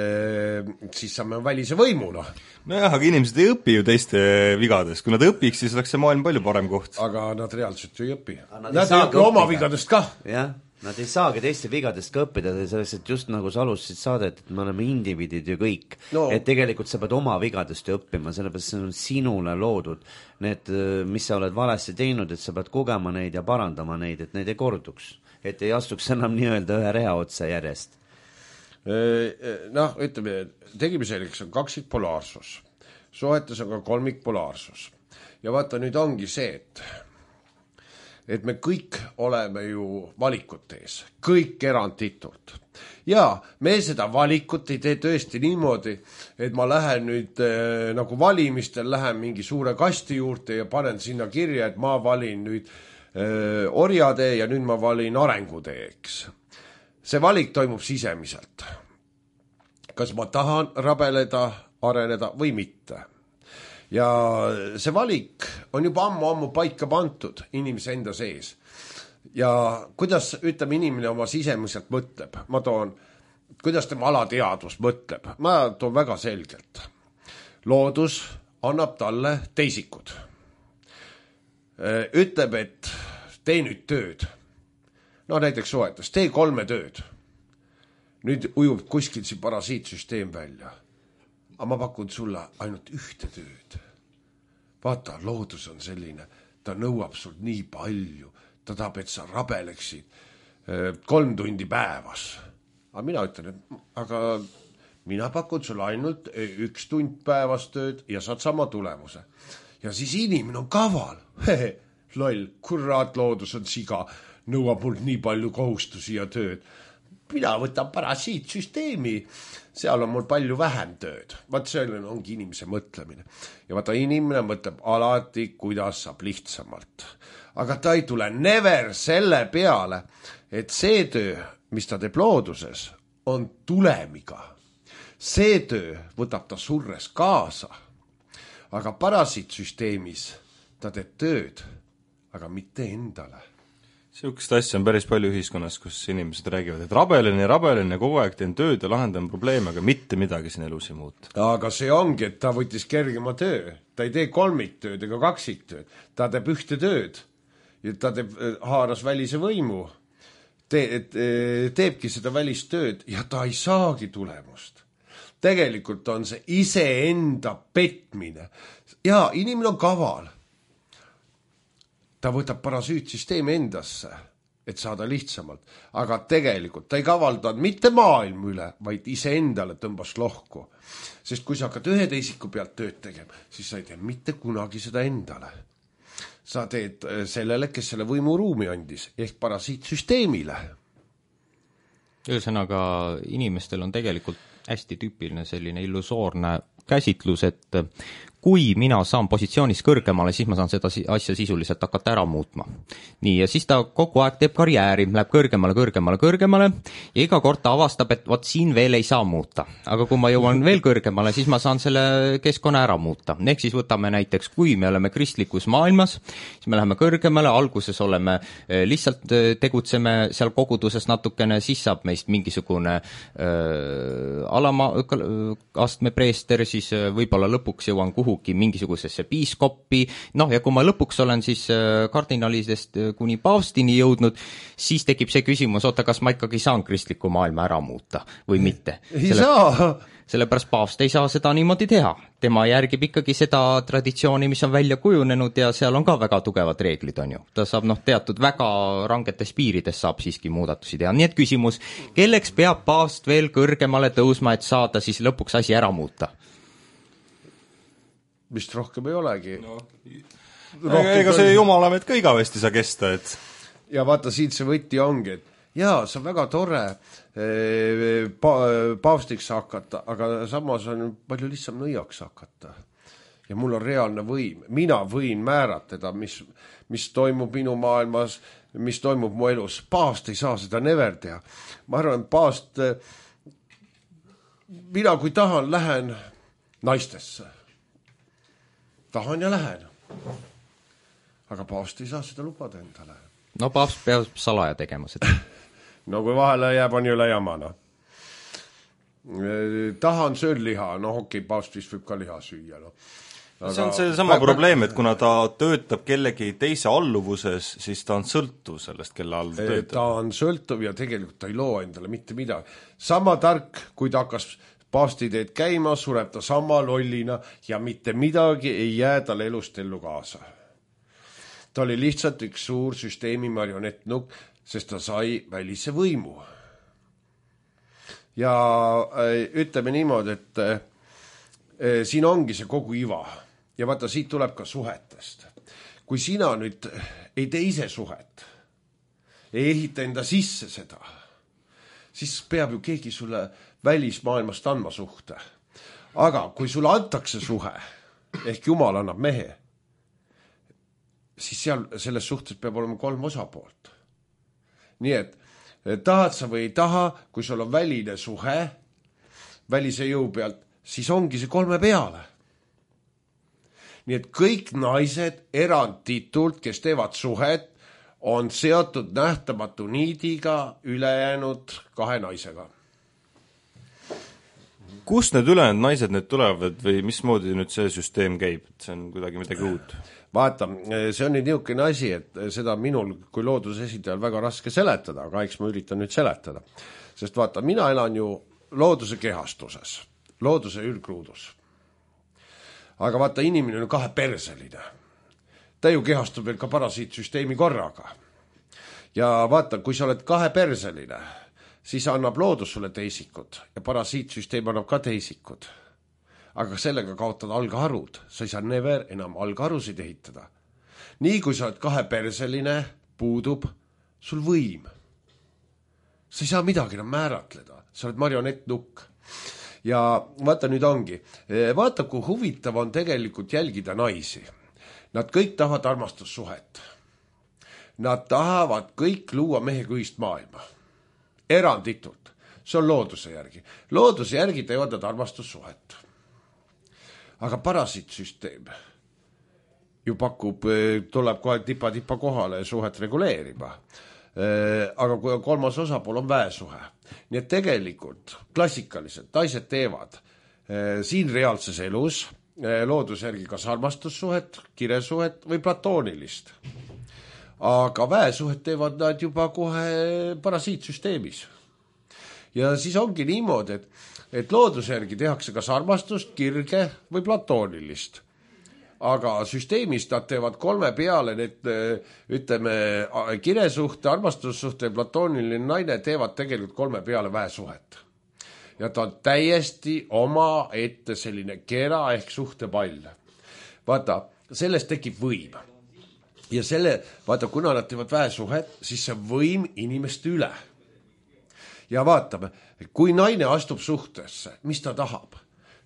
siis saame välise võimuna. Nojah, aga inimesed ei õpi ju teiste vigadest. Kui nad õpiks, siis oleks see maailm palju parem koht. Aga nad reaalselt ju ei õpi. Nad ei õpi oma vigadest ka. Jah, nad ei saagi teiste vigadest ka õppida, selleks, et just nagu sa alustasid saadet, et me oleme indiviidid ju kõik. No. Et tegelikult sa pead oma vigadest ju õppima, sellepärast see on sinule loodud. Need, mis sa oled valesti teinud, et sa pead kogema neid ja parandama neid, et neid ei korduks. Et ei astuks enam nii-öelda ühe rea otsa järjest. Ütleme, tegime selleks on 2 polaarsus. Suhetes on ka 3 polaarsus. Ja vaata, nüüd ongi see, et me kõik oleme ju valikute ees. Kõik eranditult. Ja me seda valikut ei tee tõesti niimoodi, et ma lähen nüüd nagu valimistel, lähen mingi suure kasti juurde ja panen sinna kirja, et ma valin nüüd orjatee ja nüüd ma valin arenguteeks. See valik toimub sisemiselt. Kas ma tahan rabeleda, areneda või mitte. Ja see valik on juba ammu paika pantud inimese enda sees. ja kuidas, ütleme, inimene oma sisemiselt mõtleb, ma toon, kuidas tema alateadvus mõtleb, ma toon väga selgelt. Loodus annab talle teisikud. Ütleb, et tee nüüd tööd. No näiteks soetas, tee 3 tööd. Nüüd ujub kuskil see parasiitsüsteem välja. Aga ma pakun sulle ainult 1 tööd. Vaata, loodus on selline, ta nõuab sul nii palju, ta tahab, et sa rabeleksid 3 tundi päevas. Aga mina ütlen, aga mina pakun sulle ainult 1 tund päevas tööd ja saad sama tulemuse. Ja siis inimene on kaval. Loll, kurat, loodus on siga, nõuab mul nii palju kohustusi ja tööd. Mina võtan parasiitsüsteemi, seal on mul palju vähem tööd. Vaat selline ongi inimese mõtlemine. Ja vaata, inimene mõtleb alati, kuidas saab lihtsamalt. Aga ta ei tule never selle peale, et see töö, mis ta teeb looduses, on tulemiga. See töö võtab ta surres kaasa. Aga parasiitsüsteemis ta teeb tööd, aga mitte endale. Sihukest asja on päris palju ühiskonnas, kus inimesed räägivad, et rabelen ja kogu aeg teen tööd ja lahendan probleeme, aga mitte midagi siin elus ei muuta. Aga see ongi, et ta võttis kergema töö. Ta ei tee 3 tööd ega 2 tööd. Ta teeb 1 tööd. Ja ta haaras välise võimu. Teebki seda välist tööd ja ta ei saagi tulemust. Tegelikult on see iseenda petmine. Ja inimene on kaval. Ta võtab parasüütsüsteemi endasse, et saada lihtsamalt. Aga tegelikult ta ei kavaldanud mitte maailma üle, vaid iseendale tõmbas lohku. Sest kui sa hakkad 1 teisiku pealt tööd tegema, siis sa ei tee mitte kunagi seda endale. Sa teed sellele, kes selle võimuruumi andis, ehk parasiitsüsteemile. Ühesõnaga, inimestel on tegelikult hästi tüüpiline selline illusoorne käsitlus, et kui mina saan positsioonis kõrgemale, siis ma saan seda asja sisuliselt hakata ära muutma. Nii, ja siis ta kogu aeg teeb karjääri, läheb kõrgemale ja iga kord ta avastab, et vot siin veel ei saa muuta. Aga kui ma jõuan veel kõrgemale, siis ma saan selle keskkonna ära muuta. Ehk siis võtame näiteks, kui me oleme kristlikus maailmas, siis me läheme kõrgemale, alguses oleme, lihtsalt tegutseme seal koguduses natukene, siis saab meist mingisugune alama astme preester, siis võib-olla lõpuks jõuan mingisugusesse piiskoppi, ja kui ma lõpuks olen siis kardinalidest kuni paavstini jõudnud, siis tekib see küsimus, kas ma ikkagi saan kristliku maailma ära muuta või mitte. Sellepärast paavst ei saa seda niimoodi teha. Tema järgib ikkagi seda traditsiooni, mis on välja kujunenud ja seal on ka väga tugevad reeglid, on ju. Ta saab teatud väga rangetes piirides saab siiski muudatusi teha. Nii et küsimus, kelleks peab paavst veel kõrgemale tõusma, et saada siis lõpuks asi ära muuta? Vist rohkem ei olegi. Ega see jumalamet ka igavesti saa kesta, et... Ja vaata, siit see võtti ongi, et jaa, see on väga tore paavstiks hakata, aga samas on palju lihtsam nõiaks hakata. Ja mul on reaalne võim. Mina võin määratleda, mis toimub minu maailmas, mis toimub mu elus. Paavst ei saa seda never teha. Ma arvan, paavst... Mina, kui tahan, lähen naistesse. Tahan ja lähen. Aga paavst ei saa seda lubada endale. No paavst peab salaja tegema seda. No kui vahele jääb, on jõle jamana. Tahan söön liha, okei, paavst vist võib ka liha süüa. Aga... See on see sama probleem, et kuna ta töötab kellegi teise alluvuses, siis ta on sõltuv sellest, kelle all töötab. Ta on sõltuv ja tegelikult ta ei loo endale mitte midagi. Sama tark, kui ta hakkas paavstiteed käima, sureb ta sama lollina ja mitte midagi ei jää tal elust ellu kaasa. Ta oli lihtsalt üks suur süsteemi marionettnukk, sest ta sai välise võimu. Ja ütleme niimoodi, et siin ongi see kogu iva. Ja vaata, siit tuleb ka suhetest. Kui sina nüüd ei tee ise suhet, ei ehita enda sisse seda, siis peab ju keegi sulle välismaailmast andma suhte. Aga kui sulle antakse suhe, ehk Jumal annab mehe, siis selles suhtes peab olema 3 osapoolt. Nii et tahad sa või ei taha, kui sul on väline suhe, välise jõu pealt, siis ongi see 3 peale. Nii et kõik naised erandtitult, kes teevad suhet, on seotud nähtamatu niidiga ülejäänud 2 naisega. Kust need ülejäänud naised nüüd tulevad või mismoodi nüüd see süsteem käib, et see on kuidagi midagi uut? Vaata, see on nüüd niisugune asi, et seda minul kui looduse esindajal väga raske seletada, aga eks ma üritan nüüd seletada. Sest vaata, mina elan ju looduse kehastuses, looduse ülgruudus. Aga vaata, inimene on 2-perseline. Ta ju kehastub veel ka parasiitsüsteemi korraga. Ja vaata, kui sa oled 2-perseline, siis annab loodus sulle teisikud ja parasiitsüsteem annab ka teisikud. Aga sellega kaotad algharud, sa ei saa never enam algharusid ehitada. Nii kui sa oled 2-perseline, puudub sul võim. Sa ei saa midagi enam määratleda, sa oled marionettnukk. Ja vaata nüüd ongi, vaata kui huvitav on tegelikult jälgida naisi. Nad kõik tahavad armastussuhet. Nad tahavad kõik luua mehega ühist maailma. Eranditult. See on looduse järgi. Looduse järgi teevad nad armastussuhet. Aga parasiitsüsteem ju pakub, tuleb kohe tipa kohale suhet reguleerima. Aga kui 3. osapool on väesuhe. Nii et tegelikult klassikaliselt naised teevad siin reaalses elus looduse järgi kas armastussuhet, kiresuhet või platoonilist. Aga väesuhet teevad nad juba kohe parasiitsüsteemis. Ja siis ongi niimoodi, et looduse järgi tehakse kas armastust, kirge või platoonilist. Aga süsteemis nad teevad 3 peale, need ütleme kiresuhte, armastussuhte ja platooniline naine teevad tegelikult 3 peale väesuhet. Ja ta on täiesti oma ette selline kera ehk suhtepall. Vaata, sellest tekib võim. Ja vaata, kuna nad teevad väesuhet, siis see võim inimeste üle. Ja vaatame, kui naine astub suhtesse, mis ta tahab?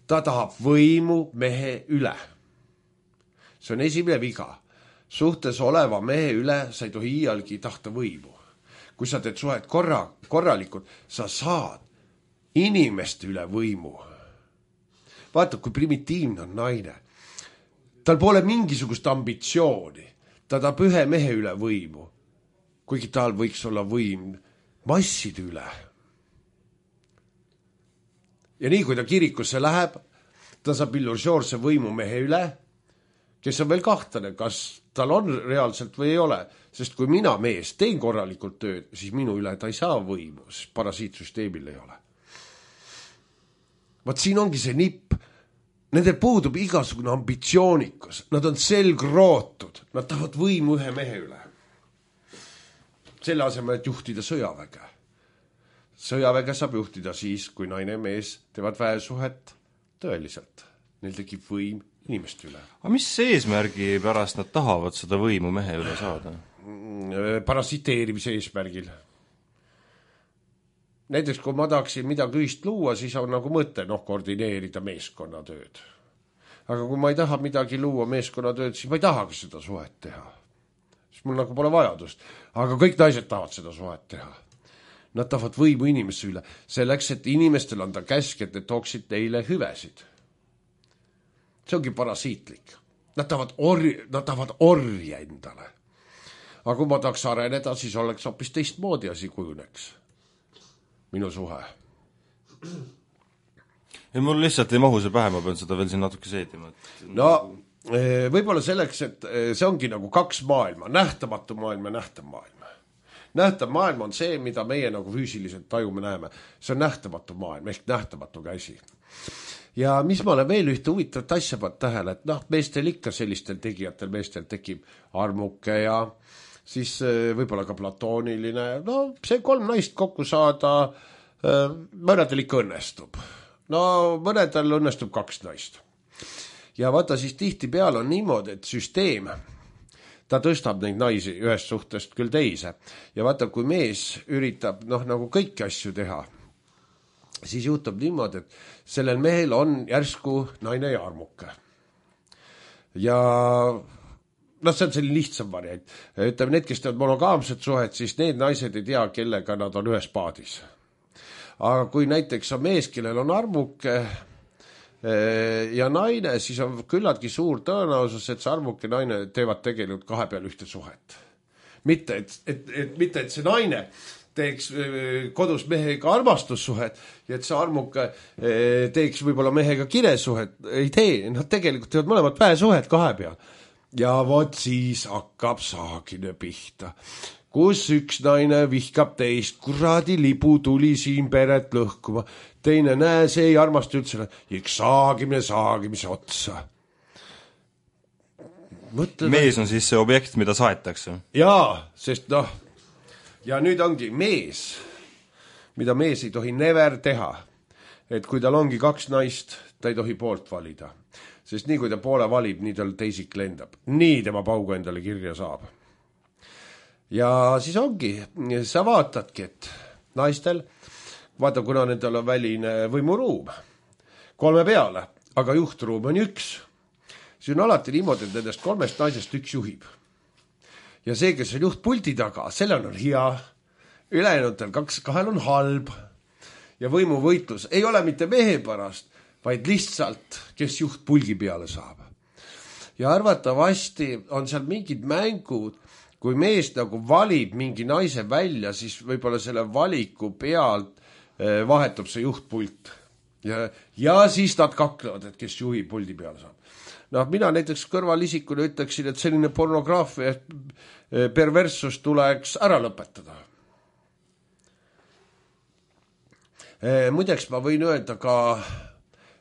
Ta tahab võimu mehe üle. See on esimene viga. Suhtes oleva mehe üle sa ei tohi iialgi tahta võimu. Kui sa teed suhet korralikult, sa saad inimeste üle võimu. Vaata, kui primitiivne on naine. Tal pole mingisugust ambitsiooni. Ta tahab ühe mehe üle võimu. Kuigi tal võiks olla võim masside üle. Ja nii, kui ta kirikusse läheb, ta saab illusioorse võimu mehe üle, kes on veel kahtlane, kas tal on reaalselt või ei ole. Sest kui mina mees teen korralikult tööd, siis minu üle ta ei saa võimu, sest parasiitsüsteemil ei ole. Vaat siin ongi see nipp. Nendel puudub igasugune ambitsioonikas. Nad on selgrootud. Nad tahavad võimu ühe mehe üle. Selle asemel, et juhtida sõjaväge. Sõjaväge saab juhtida siis, kui naine ja mees teevad väesuhet tõeliselt. Neil tekib võim inimeste üle. Aga mis eesmärgi pärast nad tahavad seda võimu mehe üle saada? Parasiteerimise eesmärgil. Näiteks, kui ma tahaksin midagi ühist luua, siis on nagu mõte koordineerida meeskonnatööd. Aga kui ma ei taha midagi luua meeskonnatööd, siis ma ei tahagi seda suhet teha. Siis mul nagu pole vajadust. Aga kõik naised tahavad seda suhet teha. Nad tahavad võimu inimese üle. Selleks, et inimestel anda käsk, et need tooksid neile hüvesid. See ongi parasiitlik. Nad tahavad orja endale. Aga kui ma tahaks areneda, siis oleks hoopis teistmoodi asi kujuneks. Minu suhe. Ja mul lihtsalt ei mahu see pähe, ma pean seda veel siin natuke seedima. No, võib-olla selleks, et see ongi nagu 2 maailma, nähtamatu maailm ja nähtav maailm. Nähtav maailm on see, mida meie nagu füüsiliselt tajume näeme. See on nähtamatu maailm, ehk nähtamatu käsi. Ja mis ma olen veel ühte huvitavat asja pannud tähele, et meestel ikka sellistel tegijatel meestel tekib armuke ja siis võib-olla ka platooniline. No see 3 naist kokku saada, mõnedel ikka õnnestub. No mõnedel õnnestub 2 naist. Ja vaata siis tihti peal on niimoodi, et süsteem, ta tõstab neid naisi ühest suhtest küll teise. Ja vaata, kui mees üritab nagu kõiki asju teha, siis juhtub niimoodi, et sellel mehel on järsku naine ja armuke. Ja see on selline lihtsam variant. Ütleme, need, kes teevad monogaamset suhet, siis need naised ei tea, kellega nad on ühes paadis. Aga kui näiteks on mees, kellel on armuke ja naine, siis on küllaltki suur tõenäosus, et see armuke naine teevad tegelikult 2 peal ühte suhet. mitte, mitte, et see naine teeks kodus mehega armastussuhet ja et see armuke teeks võib-olla mehega kiresuhet, ei tee, nad tegelikult teevad mõlemad väesuhet kahe peal. Ja vot siis hakkab saagine pihta, kus üks naine vihkab teist, kuradi libu tuli siin peret lõhkuma, teine näe, see ei armasta üldse, saagimise otsa. Mees on siis see objekt, mida saetakse. Jaa, sest noh, ja nüüd ongi mees, mida mees ei tohi never teha, et kui tal ongi kaks naist, ta ei tohi poolt valida. Sest nii kui ta poole valib, nii tal teisik lendab. Nii tema paugu endale kirja saab. Ja siis ongi, sa vaatadki, et naistel, vaata kuna nendel on väline võimuruum, 3 peale, aga juhtruum on 1. See on alati niimoodi, et nendest 3 naisest 1 juhib. Ja see, kes on juhtpulti taga, sellel on hea, ülejäänutel 2 on halb. Ja võimuvõitlus ei ole mitte mehe pärast, vaid lihtsalt, kes juht pulgi peale saab. Ja arvatavasti on seal mingid mängud, kui mees nagu valib mingi naise välja, siis võib-olla selle valiku pealt vahetub see juhtpult. Ja siis nad kaklevad, et kes juhi puldi peale saab. Noh, mina näiteks kõrvalisikuna ütleksin, et selline pornograafia perverssus tuleks ära lõpetada. Muideks ma võin öelda ka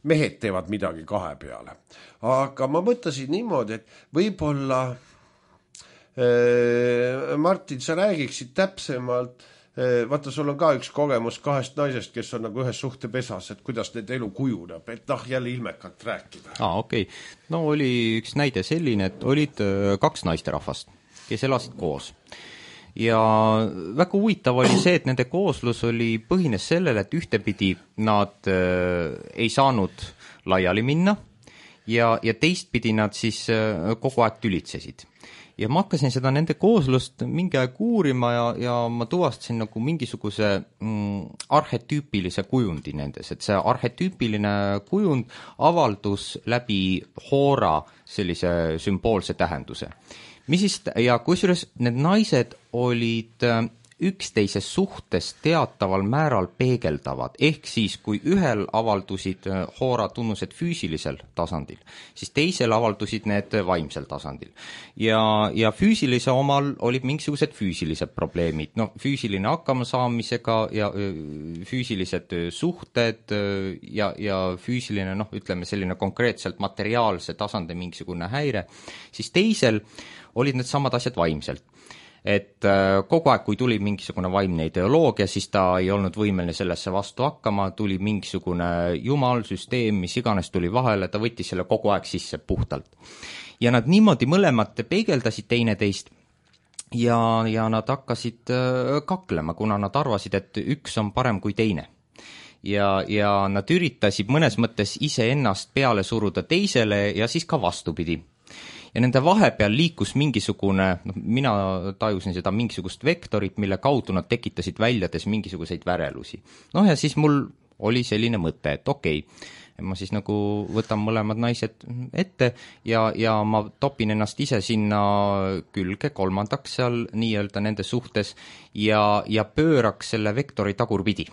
mehed teevad midagi 2 peale. Aga ma mõtlesin niimoodi, et võib-olla Martin, sa räägiksid täpsemalt, vaata, sul on ka üks kogemus 2 naisest, kes on nagu ühes suhtepesas, et kuidas need elu kujuneb, et jälle ilmekalt rääkida. Okei. No oli üks näide selline, et olid 2 naisterahvast, kes elasid koos. Ja väga huvitav oli see, et nende kooslus oli põhines sellele, et ühtepidi nad ei saanud laiali minna ja teistpidi nad siis kogu aeg tülitsesid. Ja ma hakkasin seda nende kooslust mingi aeg uurima ja ma tuvastasin nagu mingisuguse arhetüüpilise kujundi nendes, et see arhetüüpiline kujund avaldus läbi hoora sellise sümboolse tähenduse. Ja kusjuures need naised olid üksteise suhtes teataval määral peegeldavad, ehk siis kui ühel avaldusid hoora tunnused füüsilisel tasandil, siis teisel avaldusid need vaimsel tasandil. Ja füüsilise omal olid mingisugused füüsilised probleemid, füüsiline hakkamasaamisega ja füüsilised suhted ja füüsiline, ütleme selline konkreetselt materiaalse tasandi mingisugune häire, siis teisel olid need samad asjad vaimselt. Et kogu aeg, kui tuli mingisugune vaimne ideoloogia, siis ta ei olnud võimeline sellesse vastu hakkama, tuli mingisugune jumal, süsteem, mis iganes tuli vahele, ta võttis selle kogu aeg sisse puhtalt. Ja nad niimoodi mõlemad peegeldasid teineteist ja nad hakkasid kaklema, kuna nad arvasid, et üks on parem kui teine. Ja nad üritasid mõnes mõttes iseennast peale suruda teisele ja siis ka vastupidi. Ja nende vahepeal liikus mingisugune, mina tajusin seda mingisugust vektorit, mille kaudu nad tekitasid väljades mingisuguseid värelusi. Ja siis mul oli selline mõte, et okei, ma siis nagu võtan mõlemad naised ette ja ma topin ennast ise sinna külge, 3. seal nii-öelda nende suhtes ja pööraks selle vektori tagurpidi.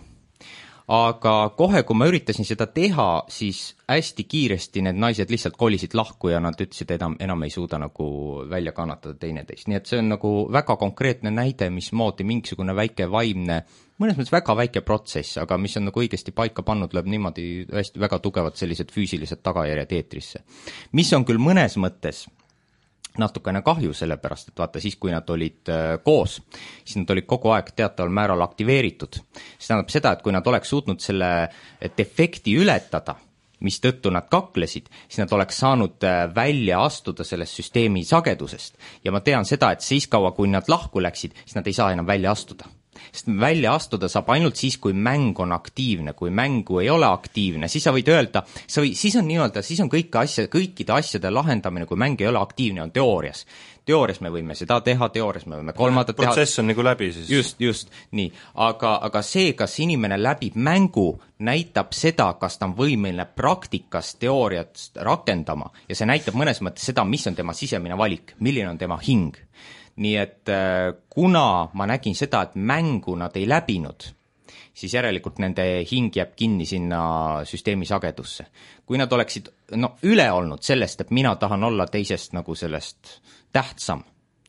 Aga kohe, kui ma üritasin seda teha, siis hästi kiiresti need naised lihtsalt kolisid lahku ja nad ütlesid, et enam ei suuda nagu välja kannatada teineteist. Nii et see on nagu väga konkreetne näide, mismoodi mingisugune väike vaimne, mõnes mõttes väga väike protsess, aga mis on nagu õigesti paika pannud, lööb niimoodi hästi väga tugevad sellised füüsilised tagajärjed eetrisse. Mis on küll mõnes mõttes natukene kahju, sellepärast, et vaata siis, kui nad olid koos, siis nad olid kogu aeg teataval määral aktiveeritud. See tähendab seda, et kui nad oleks suutnud selle defekti ületada, mis tõttu nad kaklesid, siis nad oleks saanud välja astuda sellest süsteemi sagedusest. Ja ma tean seda, et siis kaua, kui nad lahku läksid, siis nad ei saa enam välja astuda. Sest välja astuda saab ainult siis, kui mäng on aktiivne. Kui mängu ei ole aktiivne, siis sa võid öelda, siis on nii-öelda, siis on kõikide asjade lahendamine, kui mäng ei ole aktiivne, on teoorias. Teoorias me võime seda teha, teoorias me võime kolmandat teha. Protsess on nagu läbi siis. Just, nii. Aga see, kas inimene läbib mängu, näitab seda, kas ta on võimeline praktikas teooriat rakendama ja see näitab mõnes mõttes seda, mis on tema sisemine valik, milline on tema hing. nii et kuna ma nägin seda, et mängu nad ei läbinud, siis järelikult nende hing jääb kinni sinna süsteemi sagedusse. Kui nad oleksid üle olnud sellest, et mina tahan olla teisest nagu sellest tähtsam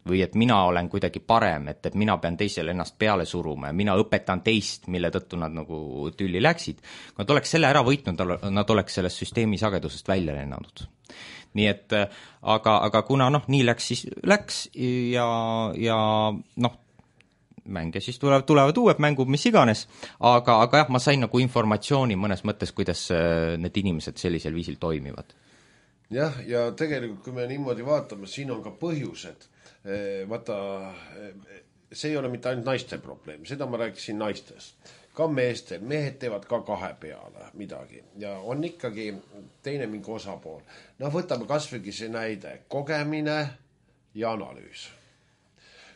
või et mina olen kuidagi parem, et mina pean teisele ennast peale suruma ja mina õpetan teist, mille tõttu nad nagu tülli läksid, kui nad oleks selle ära võitnud, nad oleks sellest süsteemi sagedusest välja lennanud. Nii et aga kuna nii läks, siis läks ja mänge siis tulevad uued mängud, mis iganes, aga jah, ma sain nagu informatsiooni mõnes mõttes, kuidas need inimesed sellisel viisil toimivad. Jah, ja tegelikult, kui me niimoodi vaatame, siin on ka põhjused. Vaata, see ei ole mitte ainult naiste probleem, seda ma rääkisin naistest. Ka meestel, mehed teevad ka kahe peale midagi ja on ikkagi teine mingi osapool. Võtame kasvõigi see näide, kogemine ja analüüs.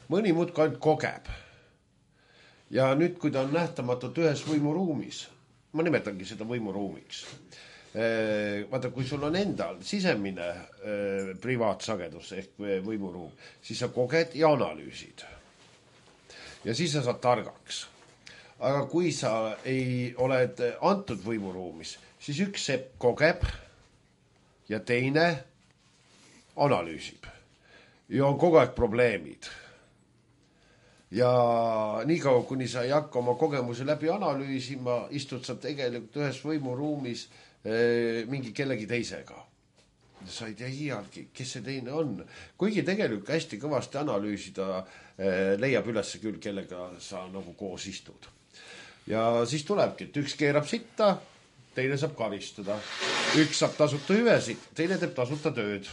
Mõni muudki ainult kogeb. Ja nüüd, kui ta on nähtamatult ühes võimuruumis, ma nimetangi seda võimuruumiks. Vaata, kui sul on endal sisemine privaatsagedus ehk võimuruum, siis sa koged ja analüüsid. Ja siis sa saad targaks. Aga kui sa ei oled antud võimuruumis, siis üks sepp kogeb ja teine analüüsib. Ja on kogu aeg probleemid. Ja niikaua, kuni sa ei hakka oma kogemuse läbi analüüsima, istud sa tegelikult ühes võimuruumis mingi kellegi teisega. Sa ei tea iialgi, kes see teine on. Kuigi tegelikult hästi kõvasti analüüsida leiab üles küll, kellega sa nagu koos istud. Ja siis tulebki, et üks keerab sitta, teine saab karistada. Üks saab tasuta hüvesid, teine teeb tasuta tööd.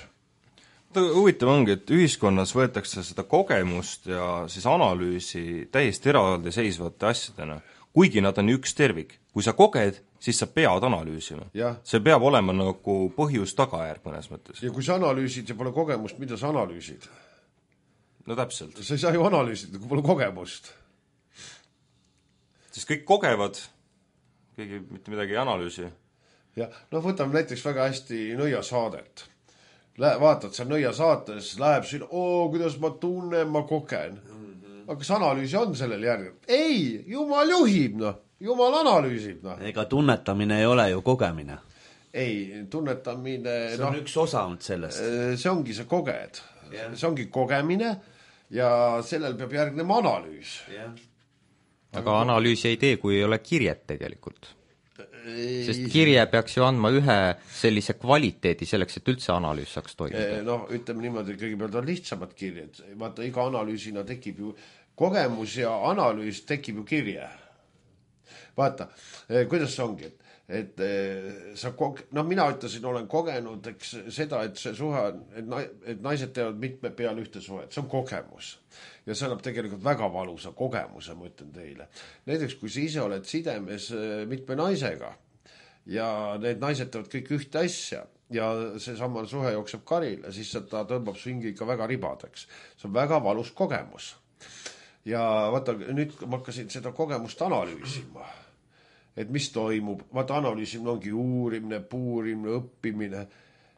Huvitav ongi, et ühiskonnas võetakse seda kogemust ja siis analüüsi täiesti eraldi seisvate asjadena, kuigi nad on üks tervik. Kui sa koged, siis sa pead analüüsima. Ja. See peab olema nagu põhjus-tagajärg mõnes mõttes. Ja kui sa analüüsid ja pole kogemust, mida sa analüüsid? No täpselt. Sa ei saa ju analüüsida, kui pole kogemust. Siis kõik kogevad, keegi mitte midagi ei analüüsi. Ja, võtame näiteks väga hästi nõiasaadet. Vaatad seal nõiasaates, läheb siin, kuidas ma tunnen, ma kogen. Aga kas analüüsi on sellel järgel? Ei, jumal juhib, jumal analüüsib. Ega tunnetamine ei ole ju kogemine. Ei, tunnetamine... See on üks osa sellest. See ongi see koged. Yeah. See ongi kogemine ja sellel peab järgnema analüüs. Yeah. Aga analüüsi ei tee, kui ei ole kirjet tegelikult. Sest kirje peaks ju andma ühe sellise kvaliteedi selleks, et üldse analüüs saaks toimuda. Ütleme niimoodi, kõigepealt on lihtsamad kirjed. Vaata, iga analüüsina tekib ju kogemus ja analüüs tekib ju kirje. Vaata, kuidas see ongi, et sa mina ütlesin, olen kogenud seda, et see suhe, et naised teevad mitme peale ühte suhet, see on kogemus. Ja see annab tegelikult väga valusa kogemuse, ma ütlen teile. Näiteks, kui sa ise oled sidemes mitme naisega ja need naised teevad kõik ühte asja ja see sama suhe jookseb karile, siis ta tõmbab su hingi ikka väga ribadeks. See on väga valus kogemus. Ja vaata, nüüd ma hakkasin seda kogemust analüüsima. Et mis toimub, vaata analüüsimine ongi uurimine, puurimine, õppimine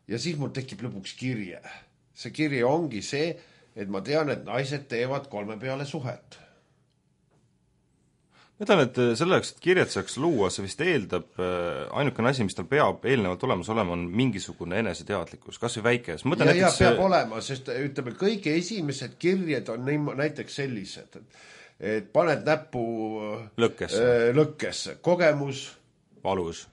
ja siis mul tekib lõpuks kirje. See kirje ongi see, et ma tean, et naised teevad 3 peale suhet. Ma ütlen, et selleks, et kirjad saaks luua, see vist eeldab, ainukene asi, mis tal peab eelnevalt olemas olema, on mingisugune eneseteadlikkus, kas või väike. Ja peab olema, sest ütleme, kõige esimesed kirjed on näiteks sellised, et paned näppu lõkkesse. Kogemus. Valus.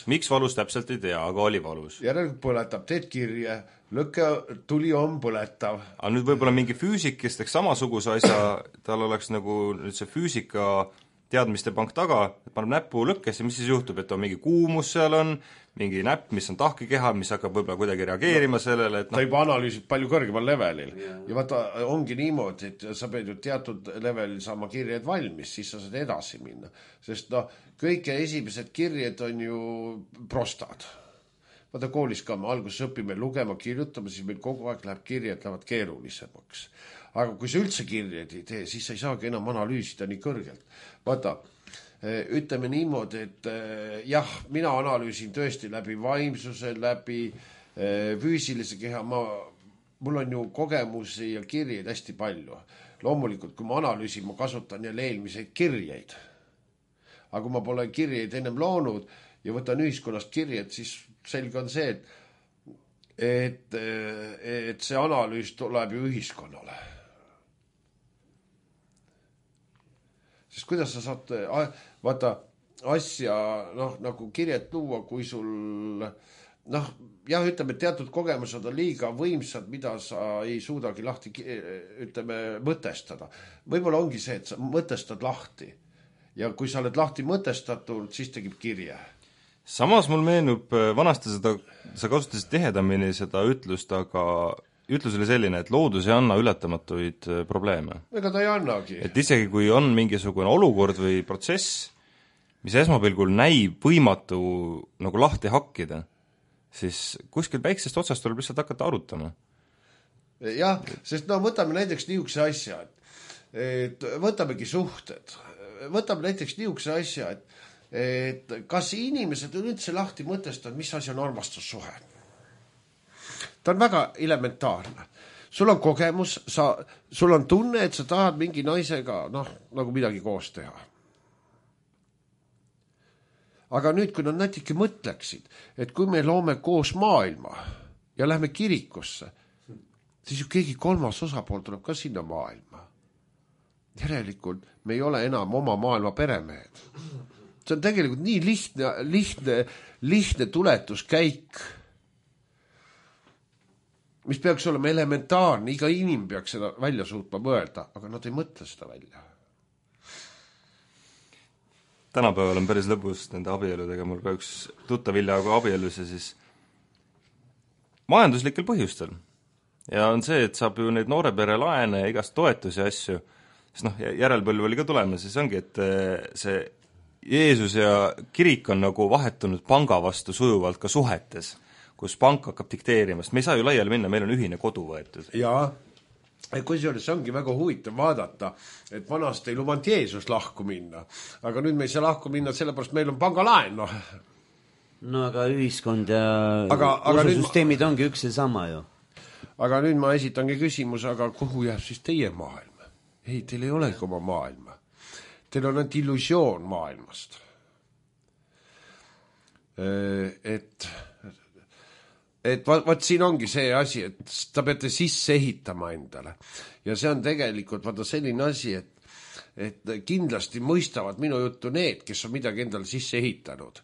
Miks valus täpselt ei tea, aga oli valus. Järelikult põletab, teed kirje, lõkke tuli on põletav. Aga nüüd võib-olla mingi füüsik, kes teeks samasuguse asja, tal oleks nagu nüüd see füüsika teadmiste pank taga, et paneb näppu lõkkesse, mis siis juhtub, et on mingi kuumus seal on, mingi näpp, mis on tahkekeha, mis hakkab võib-olla kuidagi reageerima sellele, et ta juba analüüsib palju kõrgemal levelil. Ja vaata, ongi niimoodi, et sa pead ju teatud levelil saama kirjed valmis, siis sa saad edasi minna. Sest kõige esimesed kirjed on ju prostad. Vaata, koolis ka me alguses õpime lugema, kirjutama, siis meil kogu aeg läheb kirjed, lähevad keerulisemaks. Aga kui sa üldse kirjed ei tee, siis sa ei saagi enam analüüsida nii kõrgelt. Vaata, ütleme niimoodi, et jah, mina analüüsin tõesti läbi vaimsuse, läbi füüsilise keha, ma mul on ju kogemusi ja kirjeid hästi palju. Loomulikult, kui ma analüüsin, ma kasutan jälle eelmiseid kirjeid. Aga kui ma pole kirjeid ennem loonud ja võtan ühiskonnast kirjed, siis selge on see, et see analüüs tuleb ju ühiskonnale. Sest kuidas sa saad vaata asja nagu kirjet luua, kui sul jah, ütleme, teatud kogemused on liiga võimsad, mida sa ei suudagi lahti, ütleme, mõtestada. Võib-olla ongi see, et sa mõtestad lahti. Ja kui sa oled lahti mõtestatud, siis tegib kirje. Samas mul meenub vanasti seda, sa kasutasid tihedamini seda ütlust, aga ütlus oli selline, et loodus ei anna ületamatuid probleeme. Ega ta ei annagi. Et isegi kui on mingisugune olukord või protsess, mis esmapilgul näib võimatu nagu lahti hakkida, siis kuskil väiksest otsast tuleb lihtsalt hakata arutama. Jah, sest võtame näiteks niisuguse asja, et võtamegi suhted. Võtame näiteks niisuguse asja, et kas inimesed on üldse lahti mõtestanud, mis asi on armastussuhe. Ta on väga elementaarne. Sul on kogemus, sul on tunne, et sa tahad mingi naisega nagu midagi koos teha. Aga nüüd, kui nad natuke mõtleksid, et kui me loome koos maailma ja lähme kirikusse, siis ju keegi kolmas osapool tuleb ka sinna maailma. Järelikult me ei ole enam oma maailma peremehed. See on tegelikult nii lihtne tuletuskäik, mis peaks olema elementaarne, iga inim peaks seda välja suutma mõelda, aga nad ei mõtle seda välja. Tänapäeval on päris lõbus nende abieludega, mul ka üks tuttav hiljaaegu abielus ja siis majanduslikel põhjustel. Ja on see, et saab ju neid noore pere laene ja igast toetusi asju, siis järelpõlv oli ka tulemas, siis ongi, et see Jeesus ja kirik on nagu vahetunud panga vastu sujuvalt ka suhetes, kus pank hakkab dikteerimast. Me ei saa ju laiali minna, meil on ühine kodu võetud. Jaa, kusjuures see ongi väga huvitav vaadata, et vanast ei lubanud Jeesus lahku minna, aga nüüd me ei saa lahku minna, sellepärast meil on pangalaen. No aga ühiskond ja ususüsteemid ongi üks ja sama ju. Aga nüüd ma esitangi küsimus, aga kuhu jääb siis teie maailm? Ei, teil ei olegi oma maailma. Teil on ainult illusioon maailmast. Et vaat siin ongi see asi, et ta peate sisse ehitama endale. Ja see on tegelikult vaata selline asi, et kindlasti mõistavad minu juttu need, kes on midagi endale sisse ehitanud.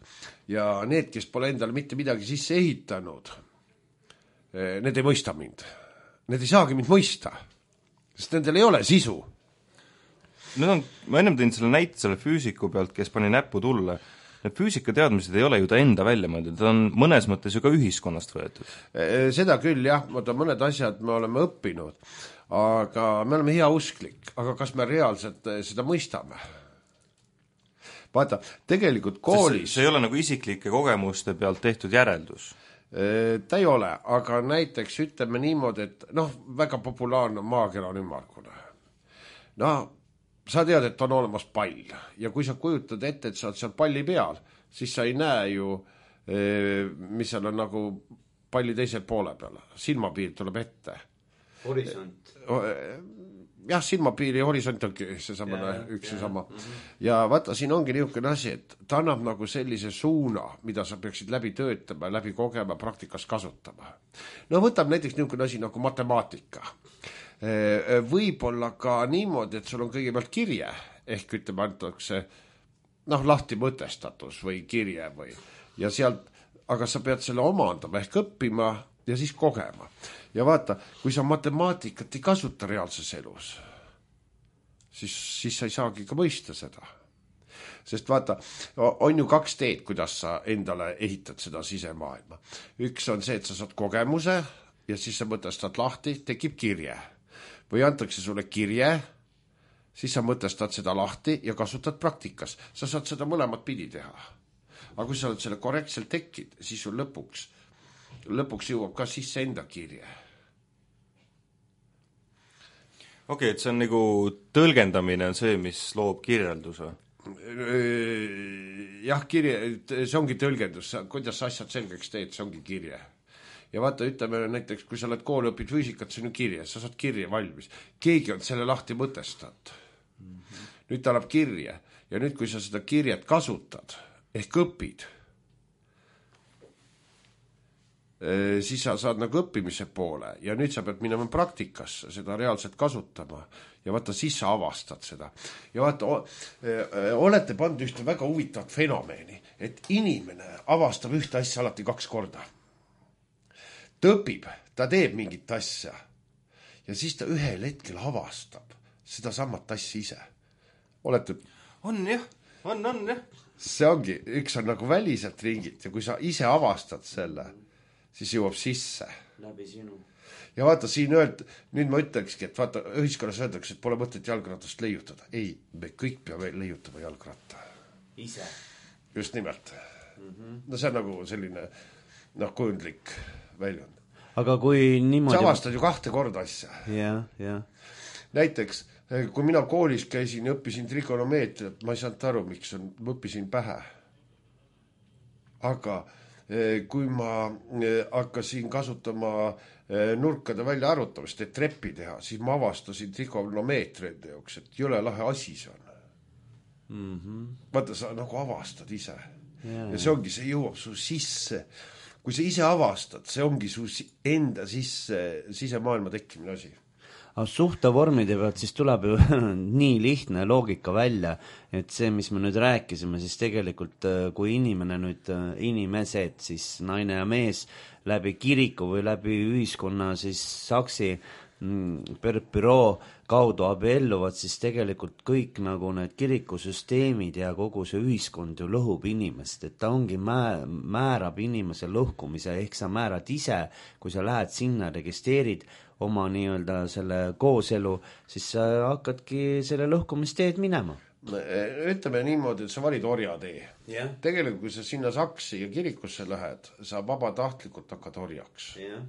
Ja need, kes pole endale mitte midagi sisse ehitanud, need ei mõista mind. Need ei saagi mind mõista, sest nendel ei ole sisu. Ma ennem tõin selle näite selle füüsiku pealt, kes pani näppu tulle. Need füüsikateadmised ei ole ju ta enda välja mõeldud, ta on mõnes mõttes ju ka ühiskonnast võetud. Seda küll, jah, mõned asjad me oleme õppinud, aga me oleme hea usklik, aga kas me reaalselt seda mõistame? Vaata, tegelikult koolis... See ei ole nagu isiklike kogemuste pealt tehtud järeldus. Ta ei ole, aga näiteks ütleme niimoodi, et väga populaarne maakera on ümmargune. Sa tead, et on olemas pall ja kui sa kujutad ette, et sa oled seal palli peal, siis sa ei näe ju, mis seal on nagu palli teisel poole peal. Silmapiir tuleb ette. Horisont. Jah, silmapiir ja horisont ongi üks ja sama. Ja vaata, siin ongi niisugune asi, et ta annab nagu sellise suuna, mida sa peaksid läbi töötama, läbi kogema, praktikas kasutama. Võtab näiteks niisugune asi nagu matemaatika. Võib-olla ka niimoodi, et sul on kõigepealt kirje, ehk ütleme antakse lahti mõtestatus või kirje või, ja sealt, aga sa pead selle omandama ehk õppima ja siis kogema. Ja vaata, kui sa matemaatikat ei kasuta reaalses elus, siis sa ei saagi ka mõista seda. Sest vaata, on ju 2 teed, kuidas sa endale ehitad seda sisemaailma. Üks on see, et sa saad kogemuse ja siis sa mõtestad lahti, tekib kirje. Või antakse sulle kirje, siis sa mõtestad seda lahti ja kasutad praktikas. Sa saad seda mõlemat pidi teha. Aga kui sa oled selle korrektselt tekid, siis sul lõpuks jõuab ka sisse enda kirje. Okei, et see on nagu tõlgendamine on see, mis loob kirjelduse. Jah, kirje, see ongi tõlgendus, kuidas sa asjad selgeks teed, see ongi kirje. ja vaata, ütleme näiteks, kui sa oled kooli õpid füüsikat, see on ju kirje, sa saad kirje valmis. Keegi on selle lahti mõtestanud. Nüüd ta annab kirje ja nüüd, kui sa seda kirjet kasutad ehk õpid, siis sa saad nagu õppimise poole ja nüüd sa pead minema praktikasse seda reaalselt kasutama ja vaata, siis sa avastad seda. Ja vaata, olete pannud ühte väga huvitavat fenomeni, et inimene avastab ühte asja alati 2 korda. Ta õpib, ta teeb mingit asja ja siis ta ühel hetkel avastab seda samat asja ise. Olete... On jah. See ongi, üks on nagu väliselt ringilt ja kui sa ise avastad selle, siis jõuab sisse. Läbi sinu. Ja vaata, siin nüüd ma ütlekski, et vaata, ühiskonnas öeldakse, et pole mõtet jalgratast leiutada. Ei, me kõik peame leiutama jalgratta. Ise. Just nimelt. No see on nagu selline kujundlik väljund. Aga kui niimoodi... Sa avastad ju 2 korda asja. Ja. Näiteks, kui mina koolis käisin ja õppisin trigonomeetriat, ma ei saanud aru, miks ma õppisin pähe. Aga kui ma hakkasin kasutama nurkade välja arvutamist, et treppi teha, siis ma avastasin trigonomeetride jaoks, et jõle lahe asi see on. Vaata, sa nagu avastad ise. Ja see ongi, see jõuab su sisse. Kui sa ise avastad, see ongi su enda sisemaailma tekkimine asi. Aga suhtevormide pealt siis tuleb ju nii lihtne loogika välja, et see, mis me nüüd rääkisime, siis tegelikult kui inimesed, siis naine ja mees läbi kiriku või läbi ühiskonna siis saksi büroo kaudu abielluvad, siis tegelikult kõik nagu need kirikusüsteemid ja kogu see ühiskond ju lõhub inimest, et ta ongi määrab inimese lõhkumise, ehk sa määrad ise, kui sa lähed sinna, registreerid oma nii-öelda selle kooselu, siis sa hakkadki selle lõhkumisteed minema. Ütleme niimoodi, et sa valid orjatee. Yeah. Tegelikult, kui sa sinna saksi ja kirikusse lähed, sa vabatahtlikult hakkad orjaks. Yeah.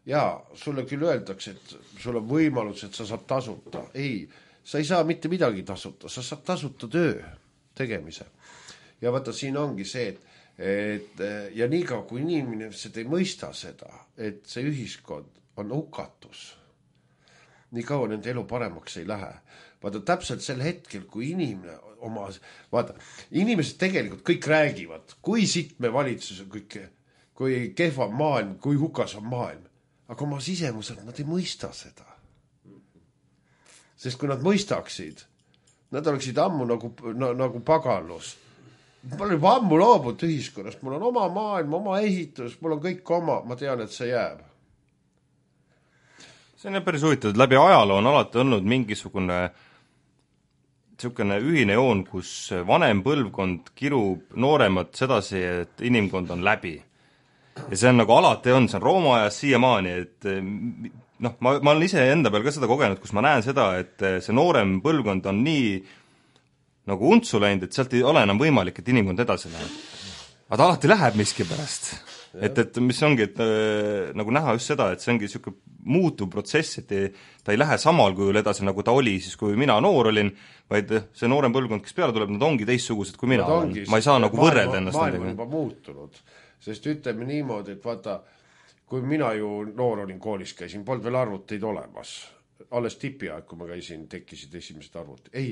Ja sulle küll öeldakse, et sul on võimalus, et sa saad tasuta. Ei, sa ei saa mitte midagi tasuta, sa saad tasuta töö tegemise. Ja vaata, siin ongi see, et ja niikaua, kui inimesed ei mõista seda, et see ühiskond on hukatus, nii kaua nende elu paremaks ei lähe. Vaata, täpselt sel hetkel, kui inimene vaata, inimesed tegelikult kõik räägivad, kui sittme valitsus on kui kehva on maailm, kui hukas on maailm. Aga oma sisemuselt nad ei mõista seda. Sest kui nad mõistaksid, nad oleksid ammu nagu paganlus. Ma olen juba ammu loobut ühiskonnast, mul on oma maailm, oma ehitus, mul on kõik oma, ma tean, et see jääb. See on päris huvitav, et läbi ajaloo on alati olnud mingisugune ühine joon, kus vanem põlvkond kirub nooremat sedasi, et inimkond on läbi. Ja see on nagu alati on, see on Rooma ajas siiamaani, et ma olen ise enda peal ka seda kogenud, kus ma näen seda, et see noorem põlvkond on nii nagu untsu läinud, et sealt ei ole enam võimalik, et inimkond edasi läheb. Aga ta alati läheb miski pärast. Et mis ongi, et nagu näha just seda, et see ongi selline muutuv protsess, et ta ei lähe samal kujul edasi, nagu ta oli siis, kui mina noor olin, vaid see noorem põlvkond, kes peale tuleb, nad ongi teistsugused, kui mina olen. Ma ei saa nagu võrrelda ennast. Maailm on juba muutunud, sest ütleme niimoodi, et vaata, kui mina ju noor olin koolis käisin, polnud veel arvuteid olemas. Alles tipiaeg, kui ma käisin, tekkisid esimesed arvutid. Ei,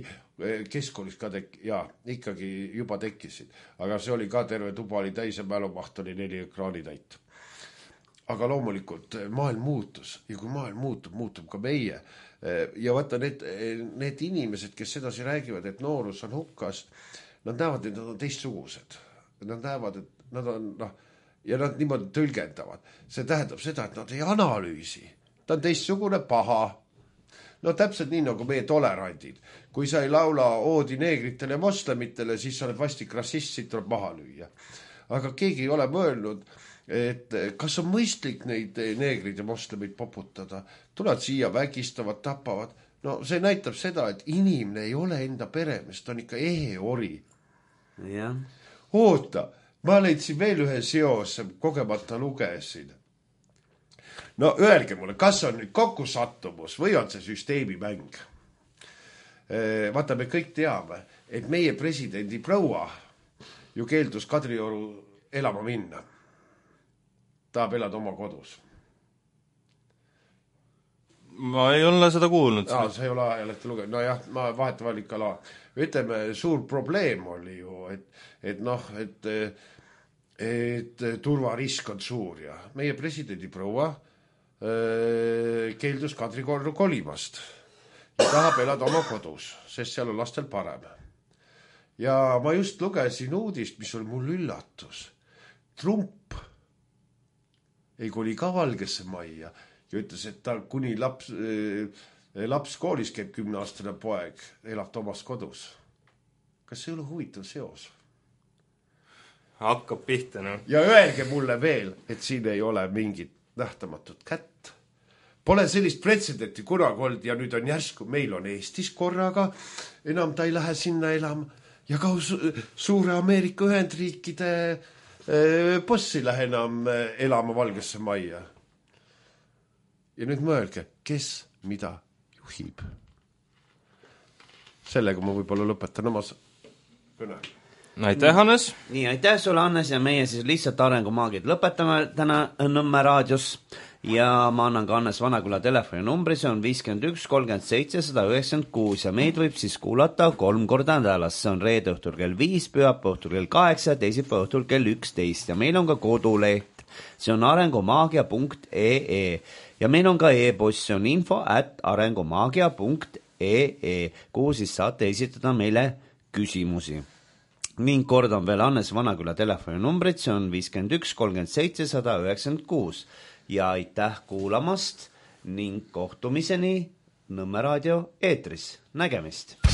keskkoolis ka ikkagi juba tekkisid. Aga see oli ka terve tuba oli täis ja mälumaht oli 4 ekraani täit. Aga loomulikult maailm muutus ja kui maailm muutub ka meie. Ja vaata need inimesed, kes sedasi räägivad, et noorus on hukkas, nad näevad, et nad on teistsugused. Nad näevad, et nad on, ja nad niimoodi tõlgendavad. See tähendab seda, et nad ei analüüsi. Ta on teistsugune paha. No täpselt nii nagu meie tolerandid. Kui sa ei laula oodi neegritele ja moslemitele, siis sa oled vastik rassist, siit tuleb maha lüüa. Aga keegi ei ole mõelnud, et kas on mõistlik neid neegrid ja moslemid poputada. Tulevad siia, vägistavad, tapavad. No see näitab seda, et inimene ei ole enda peremees, ta on ikka eheori. Ja. Oota, ma leidsin veel ühe seose, kogemata lugesin. No öelge mulle, kas on nüüd kokkusattumus või on see süsteemimäng? Vaata, me kõik teame, et meie presidendi proua ju keeldus Kadrioru elama minna. tahab elada oma kodus. ma ei ole seda kuulnud. Sa ei ole ajalehte lugenud, no jah, ma vahetavalt ikka ütleme, suur probleem oli ju, et turvarisk on suur ja meie presidendi proua keeldus Kadriorgu kolimast ja tahab elada oma kodus, sest seal on lastel parem. Ja ma just lugesin uudist, mis oli mul üllatus. Trump ei koli ka Valgesse majja ja ütles, et tal kuni laps koolis käib 10-aastane poeg, elab Tomas kodus. Kas see ei ole huvitav seos? Hakkab pihta, no. Ja öelge mulle veel, et siin ei ole mingit nähtamatut kätt. Pole sellist pretsedenti kunagi olnud ja nüüd on järsku, meil on Eestis korraga, enam ta ei lähe sinna elama ja ka suure Ameerika Ühendriikide boss ei lähe enam elama Valgesse majja. Ja nüüd mõelge, kes mida juhib. Sellega ma võib-olla lõpetan oma kõne. Aitäh, Hannes! Nii, aitäh sulle, Hannes, ja meie siis lihtsalt arengumaagid lõpetame täna Nõmme raadios ja ma annan ka Hannes Vanaküla telefoninumbri, see on 51 37 196 ja meid võib siis kuulata 3 korda nädalas, see on reede õhtul kell 5, pühapäeva õhtul kell 8 ja teisipäeva õhtul kell 11 ja meil on ka koduleht, see on arengumaagia.ee ja meil on ka e-post, see on info@arengumaagia.ee, kuhu siis saate esitada meile küsimusi. Ning kordan veel Hannes Vanaküla telefoninumbrit, see on 51 37 196 ja aitäh kuulamast ning kohtumiseni Nõmme raadio eetris. Nägemist!